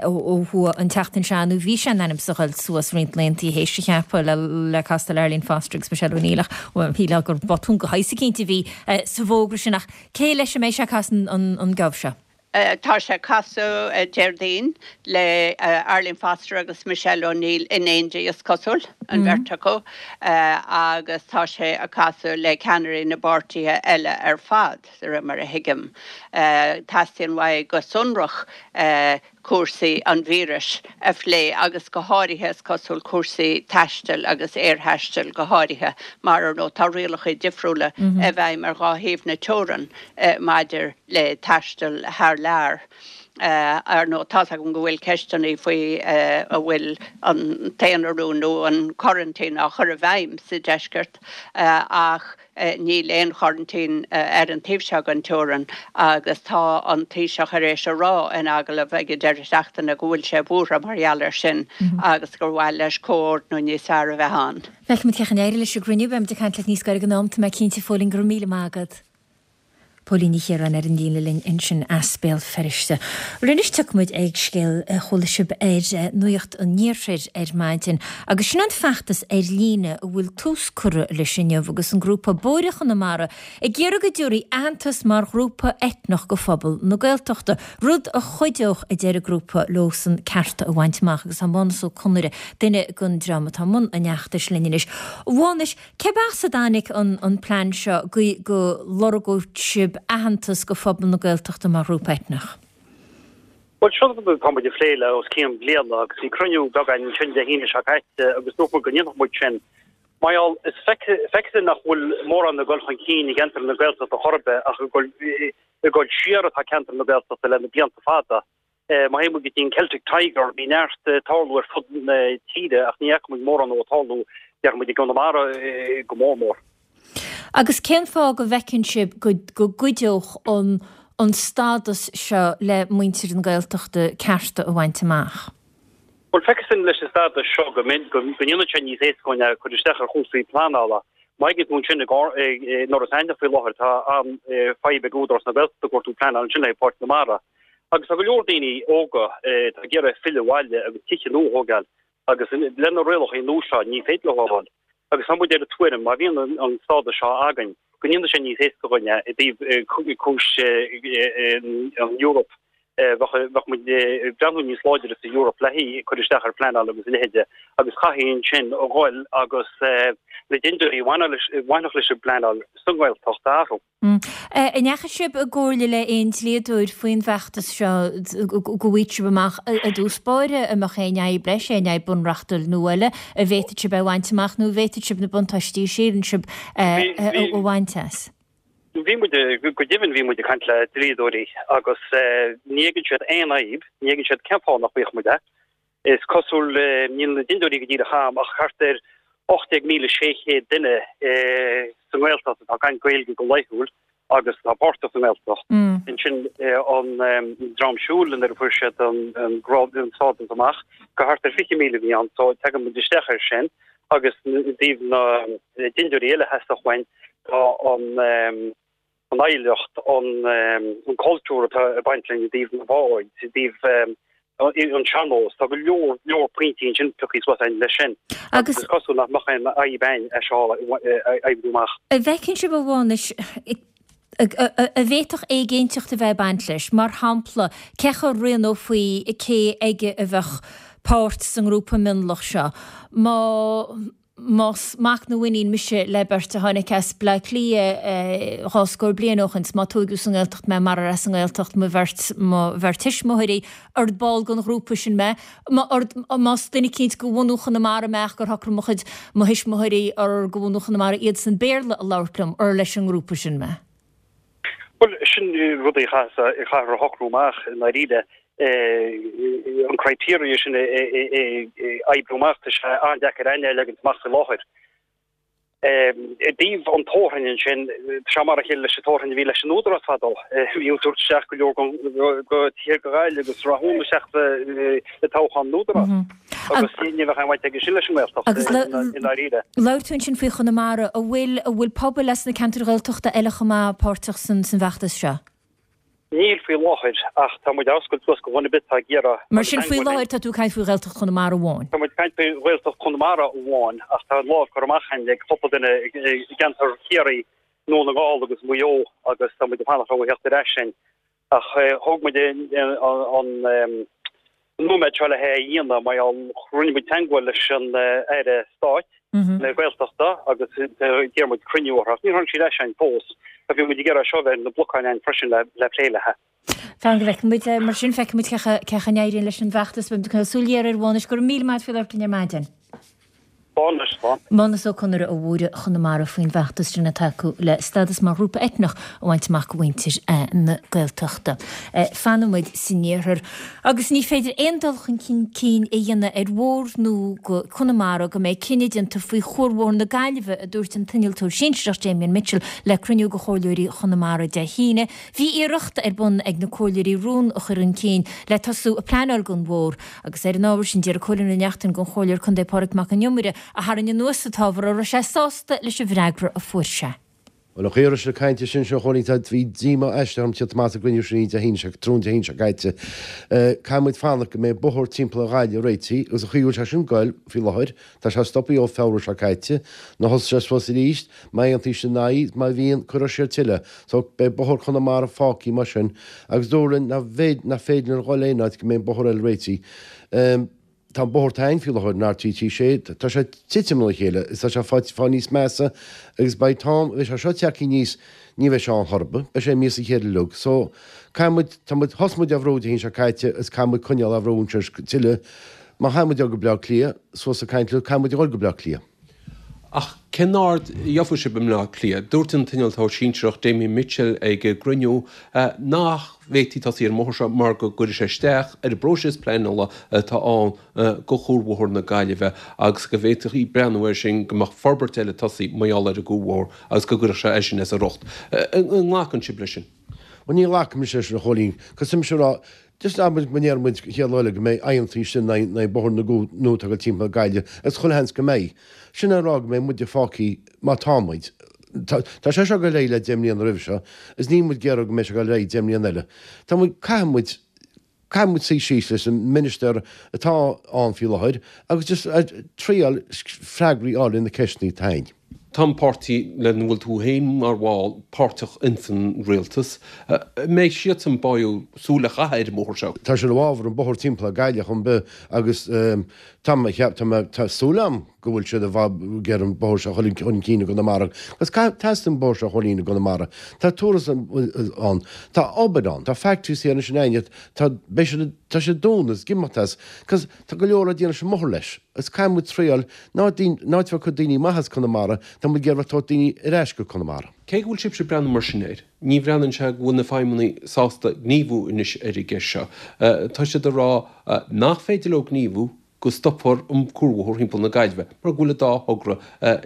ó thuaidh an tseachtain seo, nó bhí sé in ainm is a ghoil suas roinnt laethanta théis a cheaptha le castáil Arlene Foster agus Michelle O'Neill ach shílfeá gur botún de shaghas eicínt a bhí sa bhfógra sin ach cé leis a mbeidh sé ag casadh an geábh seo? Tá sé ag casadh Déardaoin le Arlene Foster agus Michelle O'Neill in éindí, is cosúil, an bheirt acu, agus tá sé ag casadh le ceannairí na bpáirtithe eile ar fad, de réir mar a thuigim. Teastaíonn uaidh go sonrach cúrsaí an víris a phlé agus go háirithe, is cosúil, cúrsaí taistil agus aerthaistil go háirithe, mar, ar ndóigh, tá rialacha difriúla i bhfeidhm ar dhá thaobh na teorann maidir le taisteal thar lear. Ar ndóigh, tá's agam go bhfuil ceisteanna faoi an bhfuil an t-aonarú nó an coraintín á chur i bhfeidhm sa deisceart ach níl aon choraintín ar an taobh seo den teorainn agus tá an Taoiseach tar éis a rá in agallamh ag an deireadh seachtaine go bhfuil sé buartha mar gheall air sin agus gur mhaith leis comhordnú níos fearr a bheith ann. Feicfimid cén chaoi a n-éireoidh leis an gcruinniú. Beimid ag caint leat níos gaire don am, tá mé cinnte, a Phóilín. Go raibh míle maith agat. Póilín Ní Chiaráin ar an líne linn ansin as Béal Feirste. Anois tiocfaidh muid ag scéal a chuala sibh ar Nuacht an Iarthair ar maidin agus sin an feachtas ar líne a bhfuil tús curtha leis inniu agus an grúpa Bóithre Chonamara ag iarraidh go dtabharfaí aitheantas mar ghrúpa eitneach go phobal na Gaeltachta, rud a chuideodh, a deir an grúpa, leosan cearta a bhaint amach agus tá Mánus Ó Conaire, duine den dream atá i mbun an fheachtais linn anois. A Mhánais, Cérbh as a dtáinig an plean seo go go lorgódh sibh aitheantas go phobal na Gaeltachta mar ghrúpa eitneach? Bhuel, seo rud atá muid ag plé le os cionn bliana agus bhí cruinniú beag againn ansin Dé hAoine seo caite agus dúirt muid go ndéanfadh muid sin. Mar gheall, is feictear nach bhfuil mórán ag dul chun cinn i gceantar na Gaeltachta chor ar bith ach ag dul siar atá ceantar na Gaeltachta le na blianta fada. Má théann muid go dtí an Celtic Tiger, bhí neart ag tarlú ar fud na tíre ach ní fhaca muid mórán ag tarlú, déarfaidh muid, i gConamara go mór mór. Agus cén fáth go bhfeiceann sibh go gcuideodh an an stádas seo le muintir na Gaeltachta cearta a bhaint amach? Bhuel, feictear dúinn leis an stádas seo go ndéanann sé níos éasca dúinn cur isteach ar chúrsaí pleanála. Má fhéachann tú ansin in Iorras Aithneach faoi láthair, tá an-fhadhb ag Údarás na Gaeltachta ag cuartú pleanáil ansin le Páirc na Mara. Agus tá go leor daoine óga atá ag iarraidh filleadh abhaile agus tithe nua a thógáil agus le na rialacha nua seo ní féidir leo a fháil. Agus tá muid ar an tuairim má bhíonn an stádas seo againn go ndéanfaidh sé níos éasca dhúinn é i dtaobh cúis an Eoraip bheadh muid ag breathnú níos láidre sa Eoraip le haghaidh cur isteach ar phleanáil agus a leithéide agus chaithfí ansin a dhul agus na dindiúirí a bhainfeadh leis an bpleanáil sa nGaeltacht a athrú. An ndeachaigh sibh i gcomhairle le aon dlíodóir faoin bhfeachtas seo go bhfaighidh sibh amach i dtús báire an mbeadh aon fhadhb leis, aon fhadhb bunreachtúil nó eile, an bhféadfadh sibh é a bhaint amach nó an bhféadfadh sibh na buntáistí a síleann sibh a bhaint as? Bhí muid, go deimhin bhí muid ag caint le dlíodóirí agus ní fheiceann siad aon fhadhb, ní fheiceann siad cén fáth nach bhfaigheadh muid é. Is cosúil, níl na dintiúirí go díreach a'm, ach thart ar 18,600 duine sa nGaeltacht atá ag caint Gaeilge go laethúil agus atá páirteach sa nGaeltacht. Ansin an Dream Siúil nuair a fuair siad an stádas amach, go thart ar 20,000 a bhí ann, so tagann muid isteach air sin. Agus i dtaobh na dintiúirí eile a theastódh uainn, tá an an oidhreacht, an cultúr atá ag baint linn i dtaobh na báid, i dtaobh an sean-nós, tá go leor leor pointí ansin pioctha suas againn leis sin. Agus is cosúil nach mbeadh aon fhadhb againn é seo a oibriú amach. An bhfeiceann sibh a Mhánais an bhféadfadh éiginnteacht a bheith ag baint leis? Mar shampla, cé chaoi a rianófaí cé aige a bheadh páirt sa ngrúpa mionlach seo? Má Más mac nó iníon mise le beirt a tháinig as Bleá Cliath dhá scór bliain ó shin, 's má tóigeadh sa nGaeltacht mé marar as an nGaeltacht mo bheirt mo bheirt thuismitheoirí, ard ball den ghrúpa sin mé. Más duine eicínt de bhunú Chonamara mé ach gur shocraigh mo chuid mo thuismitheoirí gur de bhunú Chonamara iadsan Béarla a labhairt liom, ur leis an ngrúpa sin mé. Bhuel, sin rudaí a chaithfear a shocrú amach i ndáiríre. An criteria sin a oibriú amach, tá sé an-deacair againn é a leagaint amach faoi láthair. I dtaobh an toghroinn ansin, tá sé mar a chéile leis an toghroinn a bhí leis an Údarás fadó. Bhí ag tabhairt isteach go leor de thithe go Gaillimh agus Rathún isteach i toghchán an Údarás. Agus ní bheadh aon bhaint aige sin leis an nGaeltacht i ndáiríre. Labhair tú ansin faoi Chonamara. An bhfuil, an bhfuil pobail as na ceantair Ghaeltachta eile chomh maith páirteach san bhfeachtas seo? Níl faoi láthair ach tá muid á oscailt suas do dhuine ar bith atá ag iarraidh. Mar sin faoi láthair tá tú ag caint faoi Ghaeltacht Chonamara amháin? Tá muid ag caint faoi Ghaeltacht Chonamara amháin ach tá an lámh curtha amach againn ag cúpla duine i gceantar Chiarraí, Dún na nGall agus Maigh Eo agus tá muid ag fanacht orthu a theacht ar ais linn. Ach thóg muid an nóiméad seo le hé a dhéanamh mar gheall rinne muid teagmháil leis an Aire Stáit na Gaeltachta agus d'iarr muid cruinniú orthu ach níor tháinig siad ar ais againn fós. Bhí muid ag iarraidh seo a bheith ar na blocáin againn freisin le plé léi. Fan go bhfeicfidh muid. Mar sin, feicfidh muid cé chaoi a n-éiríonn leis an bhfeachtas. Beidh muid ag coinneáil súil ghéar air, a Mhánais. Go raibh míle maith agat faoi labhairt linn ar maidin. Mánas Ó Conaire ó Mhórdha Chonamara faoin bhfeachtas sin atá acu le stádas mar ghrúpa eitneach a bhaint amach do mhuintir na Gaeltachta. Fanfaidh muid san iarthar agus ní féidir aon dul chun cinn a dhéanamh ar bhóthar nua go Conamara go mbeidh cinneadh déanta faoi Chuarbhóthar na Gaillimhe, a dúirt an t-innealtóir sinsearach Damien Mitchell le cruinniú de chomhairleoirí Chonamara Dé hAoine. Bhí iarracht ar bun ag na comhairleoirí rún a chur chun cinn le tosú ag pleanáil don bhóthar Agus ar an ábhar sin, d'iarr Cóilín Ó Neachtain den Chomhairleoir Contae Pádraig Mac Con Iomaire a tharraing anuas an t-ábhar an raibh sé sásta leis an bhfreagra a fuair sé. Bhuel, an chaoi a raibh siad ag caint ansin seo, a Chóilín, tá, bhí díomá aisteach orm tíocht amach as an gcruinniú sin Dé hAoine seo, tráthnóna Dé hAoine seo caite. Caithfidh muid fanacht go mbeidh bóthar timpeall ar Ghaillimh réitithe agus an chaoi a bhfuil sé sin ag goil faoi láthair, tá sé stoptha ó Feabhra seo caite, nuair a thosaigh sé suas arís, má aontaíonn siad ina aghaidh, má bhíonn, cuirfear siar tuilleadh. So, beidh bóthar Chonamara fágtha mar sin agus dúradh linn nach bhféidir, nach féidir linn a dhul aon áit go mbeidh an bóthar eile réitithe. Tá an bóthar atá ann faoi láthair, an RTT 6, tá sé ag titim óna chéile is tá sé ag fáil níos measa agus by the time a bheidh sé seo tagtha aníos, ní bheidh sé ann chor ar bith, beidh sé imithe as a chéile uilig. So, caithfidh muid, tá muid, thosaigh muid á bhrú Dé hAoine seo caite is caithfidh muid coinneáil á bhrú anseo tuilleadh. Má chaithfidh muid a dhul go Bleá Cliath, suas ag caint leo, caithfidh muid a dhul go Bleá Cliath. Ach cén aird a gheobhaidh sibh i mBleá Cliath? Dúirt an t-innealtóir sinsearach Damien Mitchell ag an gcruinniú nach bhféadfaí tosaí ar an mbóthar seo mar go gcuirfeadh sé isteach ar an bpróiseas pleanála atá ann do Chuarbhóthar na Gaillimhe agus go bhféadfaí breathnú air sin go mbeadh forbairt eile tosaí mar gheall ar an gcuarbhóthar agus go gcuirfeadh sé eisean as a riocht. An nglacann sibh leis sin? Bhuel ní ghlacaimse leis sin a Chóilín. Cos tá mise ag rá, Just abair go ndéarfaidh muid chéad lá eile go mbeidh aontaithe sin in aghaidh bóthar na nua atá ag dul timpeall na Gaillimhe agus chuile sheans go mbeidh. Sin é a rá go mbeidh muide fágtha mar tá muid. Tá tá sé seo ag dul ar aghaidh le 10 mbliana roimhe seo agus níl muid ag iarraidh go mbeidh sé ag dul ar aghaidh 10 mbliana eile. Tá muid caithfidh muid caithfidh muid suí síos leis an minister atá ann faoi láthair agus just triail freagraí a fháil ar na ceisteanna atá againn. Tá an páirtí lena bhfuil tú féin mar bhall páirteach ins an rialtas. An mbeidh siadsan báúil súil a chaitheamh ar an mbóthar seo? Tá siad i bhfabhar an bóthar timpeall ar Gaillimh chomh bith agus tá mé cheap, tá mé, tá súil agam go bhfuil siad i bhfabhar ag iarraidh an bóthar seo a chur chun cinn i gConamara agus teastaíonn an bóthar seo a Chóilín i gConamara. Tá tourism ann, tá obair ann, tá factories thiar anois in Aineacht, tá, beidh siad, tá siad ag dúnadh is ag imeacht as, cos tá go leor le déanamh leis an mbóthar leis. Is caithfidh muid triail, ná, ná bheadh cuid daoine maithe as Conamara. Tá muid ag iarraidh tabhairt daoine ar ais go Conamara. Cé go bhfuil sibhse ag breathnú mar sin air, ní bhreathnaíonn sé go bhfuil na feidhmeannaigh sásta gníomhú anois ar an gceist seo. Tá siad ag rá nach féidir leo gníomhú go stopfar an cuarbhóthar thimpeall na Gaillimhe mar go bhfuil an dá thogra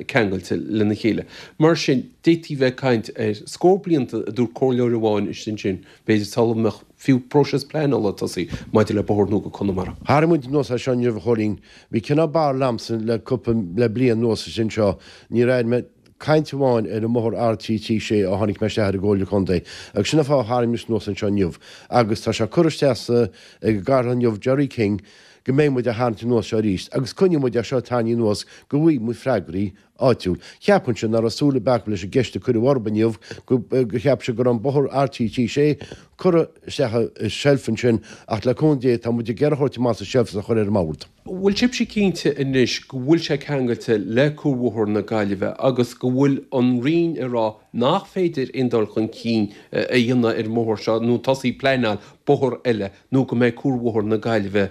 ceangailte lena chéile. Mar sin, d'fhéadfaí bheith ag caint ar scór blianta, a dúirt comhairleoir amháin istigh ansin, b'fhéidir sula mbeadh fiú próiseas pleanála tosaithe maidir le bóthar nua go Conamara. Tharraing muid anuas é seo inniu, a Chóilín. Bhí cineál barúil a'msa le cúpla, le bliain anuas is anseo. Níor airigh mé caint amháin ar an mbóthar R336 ó tháinig mé isteach ar an gComhairle Contae agus sin an fáth a tharraing mise anuas anseo inniu agus tá sé curtha isteach sa, ag an gCathaoirleach inniu, Gerry King, go mbeidh muid á tharraingt anuas seo arís agus coinneoidh muid é seo tarraingthe anuas go bhfaighidh muid freagraí áitiúil. Cheapfainnse nach raibh súil ar bith acu leis an gceist a cuireadh orthu inniu go go cheap siad go raibh an bóthar R336 curtha isteach i seilf ansin ach le cúnamh Dé tá muid ag iarraidh a thabhairt amach as an seilf is a chur ar an mbord. Bhfuil sibhse cinnte anois go bhfuil sé ceangailte le Cuarbhóthar na Gaillimhe agus go bhfuil an Roinn ag rá nach féidir aon dul chun cinn a dhéanamh ar an mbóthar seo nó tosaí pleanáil bóthar eile nó go mbeidh Cuarbhóthar na Gaillimhe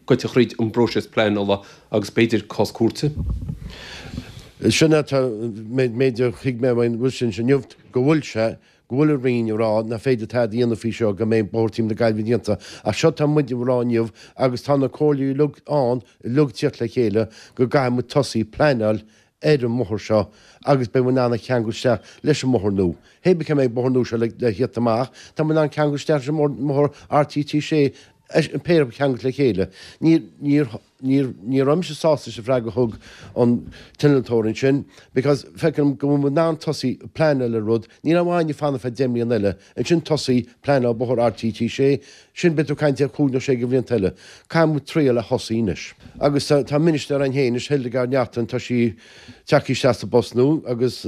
goite thríd an bpróiseas pleanála agus b'fhéidir cás cúirte. Sin é an méid a thuig mé uaidh sin inniu, go bhfuil sé, go bhfuil an Roinn ag rá nach féidir tada a dhéanamh faoi seo go mbeidh bóthar timpeall na Gaillimhe déanta. Ach seo tá muid ag rá inniu agus tá na comhairlí uilig ann, uilig tíocht le chéile, go gcaithfidh muid tosaí pleanáil ar an mbóthar seo agus beidh muid in ann a cheangal isteach leis an mbóthar nua. Hé bith cá mbeidh bóthar nua seo le thíocht amach, tá muid in ann ceangal isteach leis an mbóthar R336, an péire a cheangal le chéile. Ní, ní, ní, ní raibh mise sásta leis an bhfreagra a thug an t-innealtóir ansin because feicim go bhfuil muid in ann tosaí pleanáil ar rud, níl aon mhaith fanacht feadh 10 mbliana eile, ansin tosaí pleanáil bóthar R336, sin beidh tú ag caint ar chúig nó sé de bhlianta eile. Caithfidh muid triail a thosaí anois. Agus tá ministir againn féin anois, Hildegarde Naughton, tá sí tagtha isteach sa bpost nua agus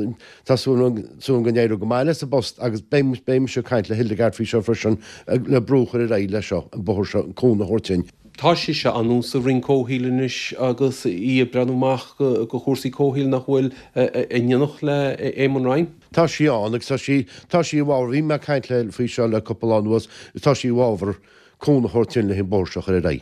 tá súil agam go n-éireoidh go maith léi sa bpost agus beidh beidh mise ag caint le Hildegarde faoi seo freisin le brú a chur ar aghaidh leis seo, an bóthar seo, an cúnamh a thabhairt dúinn. Tá sise anonn sa Roinn Comhshaoil anois agus í ag breathnú amach go chúrsaí comhshaoil nach bhfuil in éineacht le Eamon Ryan. Tá sí ann agus tá sí, tá sí i bhfabhar, bhí mé ag caint léi faoi seo le cúpla lá anuas, tá sí i bhfabhar cúnamh a thabhairt dúinn le an bóthar seo a chur ar aghaidh.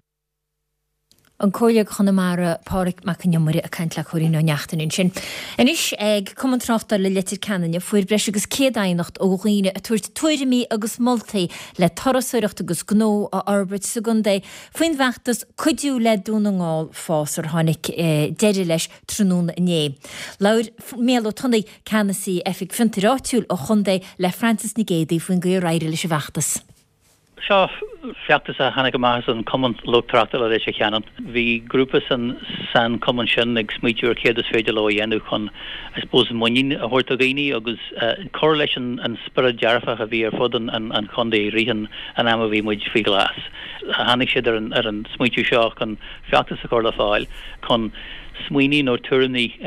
An Comhairleoir Chonamara, Pádraig Mac Con Iomaire ag caint le Cóilín Ó Neachtain ansin. Anois ag Cumann Tráchtála Leitir Ceanainn fuair breis agus 100 aighneacht ó dhaoine ag tabhairt tuairimí agus moltaí le turasóireacht agus gnó a fhorbairt sa gcontae faoin bhfeachtas Cuidiú le Dún na nGall Fás ar tháinig deireadh leis tráthnóna inné. Labhair Mícheál Ó Tonnaigh, Ceannasaí Oifig Fiontair Áitiúil an Chontae le Frances Nic Géadaigh faoin gcaoi ar éirigh leis an bhfeachtas. Seo feachtas a tháinig amach as an Cumann Lucht Tráchtála Leitir Ceanainn. Bhí grúpa san san cumann sin ag smaoitiú ar céard is féidir leo a dhéanamh chun I suppose muinín a thabhairt do dhaoine agus cur leis an spiorad dearfach a bhí ar fud an chontae i rith an ama a bhí muid faoi ghlas. Tháinig siad ar an ar an smaoitiú seo chun feachtas a chur le fáil chun smaoiní nó tuairimí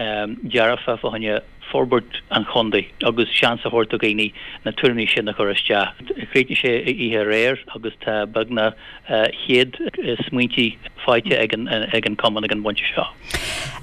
dearfa fá choinne forbairt an chontae agus seans a thabhairt do dhaoine na tuairimí sin a chur isteach. Chríochnaigh sé oíche aréir agus tá beagnach 100 smaointe faighte ag an cumann ag an bpointe seo.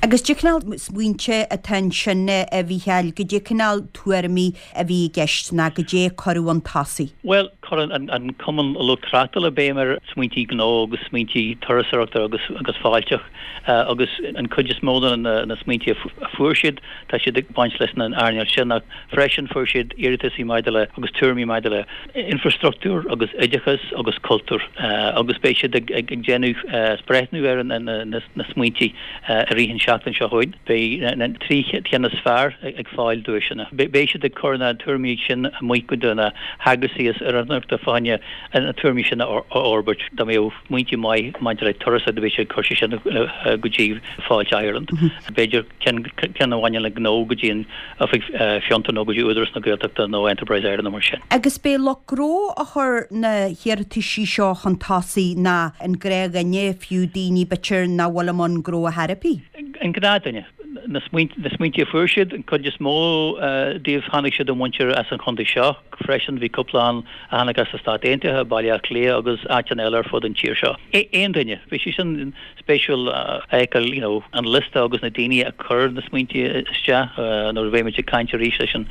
Agus cad é cineál smaointe atá ansin a Mhícheáil, cad é cineál tuairimí a bhí i gceist ná cad é a cuireadh chun tosaigh? Bhuel, chuir an Cumann Lucht Tráchtála béim ar smaointí gnó agus smaointí turasóireachta agus fáilteach agus an chuid is mó de na smaointí a fuair siad, tá siad ag baint leis an earnáil sin ach freisin fuair siad iarrataisí maidir le agus tuairimí maidir le infrastruchtúr agus oideachas agus cultúr agus beidh siad ag déanamh breithniú ar na smaointí i rith an seachtain seo chugainn. Beidh na 3 cheann is fearr ag fáil duaiseanna. Beidh siad ag cur na tuairimí sin amuigh go dtí na heagraisí is oiriúnach fá choinne na tuairimí sin a fhorbairt. Dá mbeadh smaointe maith maidir le turasóireacht beidh siad ag cur sé sin go dtí Fáilte Ireland. B'fhéidir ceann a bhaineann le gnó go dtí an Oifig Fiontar nó go dtí Údarás na Gaeltachta nó Enterprise Ireland nó mar sin. Agus b'é lucht gnó a chuir na hiarrataisí seo chun tosaigh ná an gnáthdhuine, fiú daoine b'fhéidir nach bhfuil i mbun gnó ar chor ar bith? An gnáthdhuine. Na smaointe a fuair siad, an chuid is mó díobh tháinig siad ó mhuintir as an chontae seo freisin. Bhí cúpla ann a tháinig as na Stáit Aontaithe, Baile Átha Cliath agus áiteanna eile ar fud an tír seo. Aon duine. Bhí sé sin spéisiúil a fheiceáil you know an liosta agus na daoine a chuir na smaointe isteach nuair a bheidh muid ag caint arís leis an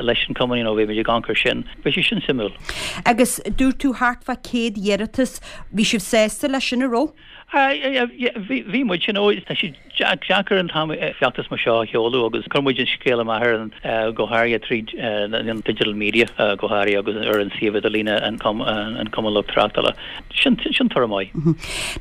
leis an cumann you know beidh muid ag amharc air sin. Bhí sé sin suimiúil. Agus dúirt tú thart fá 100 iarratas, bhí sibh sásta leis sin, an raibh? Bhí muid, you know, tá sé deacair an t-am feachtas mar seo a sheoladh agus chuir muid an scéal amach ar an, go háirithe tríd an digital media go háirithe agus ar an suíomh idirlíne an Cumann Lucht Tráchtála. Sin toradh maith.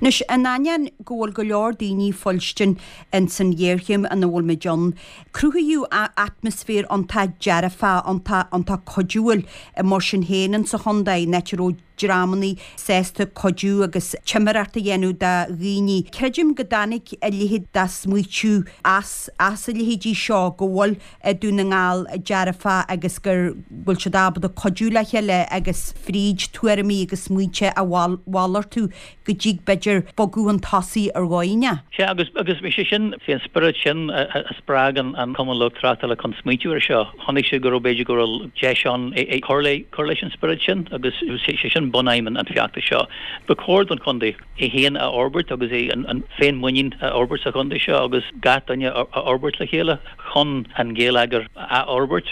Anois, in ainneoin go bhfuil go leor daoine ag fuilstin ins an ghéarchéim ina bhfuil muid ann, cruthaíodh atmaisféar iontach dearfach, iontach cuidiúil mar sin féin insa chontae, in áit a raibh dreamannaí sásta cuidiú agus timireacht a dhéanamh do dhaoine. Creidim go dtáinig a leithéid de smaoitiú as as a leithéidí seo, go bhfuil Dún na nGall dearfach agus gur bhfuil siad ábalta cuidiú le chéile agus fríd tuairimí agus smaointe a mhalartú go dtig b'fhéidir bogadh chun tosaigh ar dhóigh inteacht. Sea, agus agus sé sin, sé an spiorad sin a spreag an Cumann Lucht Tráchtála chun smaointiú ar seo. Chonaic siad go raibh b'fhéidir go raibh deis ann cur le cur leis an spiorad sin agus sé sin bunaidhm an feachtais seo. Ba chóir don chontae é féin a fhorbairt agus é an féinmhuinín a fhorbairt sa chontae seo agus gach duine a fhorbairt le chéile. chun an geilleagar a fhorbairt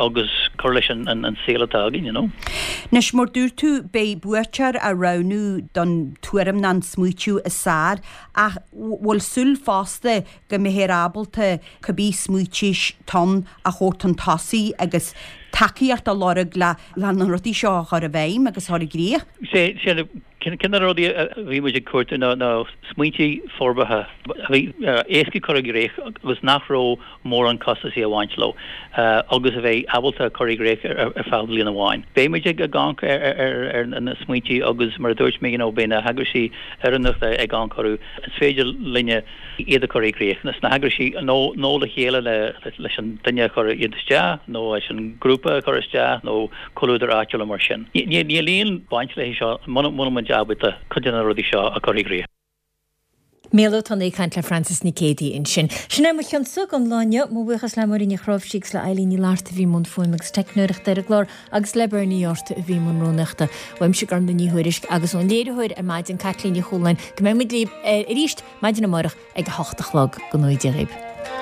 agus cur leis an saol atá againn, you know. Anois, mar dúirt tú, beidh buaiteoir á roghnú don tuairim nó an smaoitiú is fearr, ach bhfuil súil fosta go mbeifear ábalta cibé smaoitiú atá ann a thabhairt chun tosaigh agus tacaíocht a lorg le na rudaí seo a chur i bhfeidhm agus a chur i gcrích? Sé, sé, Ceann de na rudaí a bhí muid ag cuartú ná smaointe forbartha a bhí éasca cur i gcrích agus nach raibh mórán costasaí ag baint leo agus a bheidh ábalta cur i gcrích ar feadh bliain amháin. Beidh muid ag amharc ar na smaointe agus mar a dúirt mé you know beidh na heagraisí oiriúnacha ag amharc orthu. Is féidir linne iad a chur i gcrích sna heagraisí nó nó le chéile leis an duine a chuir iad isteach nó leis an grúpa a chur isteach nó comhluadar áitiúil mar sin. Níl aon baint léi seo muna bhfuil muid ábalta cuid de na rudaí seo a chur i gcrích. Mícheál Ó Tonnaigh ag caint le Frances Nic Géadaigh ansin. Sin é mo chionsa don lá inniu. Mo bhuíochas le Máirín Ní Chnáimhsí agus le Eilín Ní Fhlatharta a bhí i mbun fuaime agus teicneoireachta ar an gclár agus le Bernie Yorta a bhí i mbun rúnaíochta. Uaimse Gormlaith Ní Thuairisg agus ón léiritheoir ar maidin Caitlín Ní Chualáin go mbeidh muid libh arís maidin amárach ag a hocht a chlog. Go ngnóthaí Dia dhaoibh.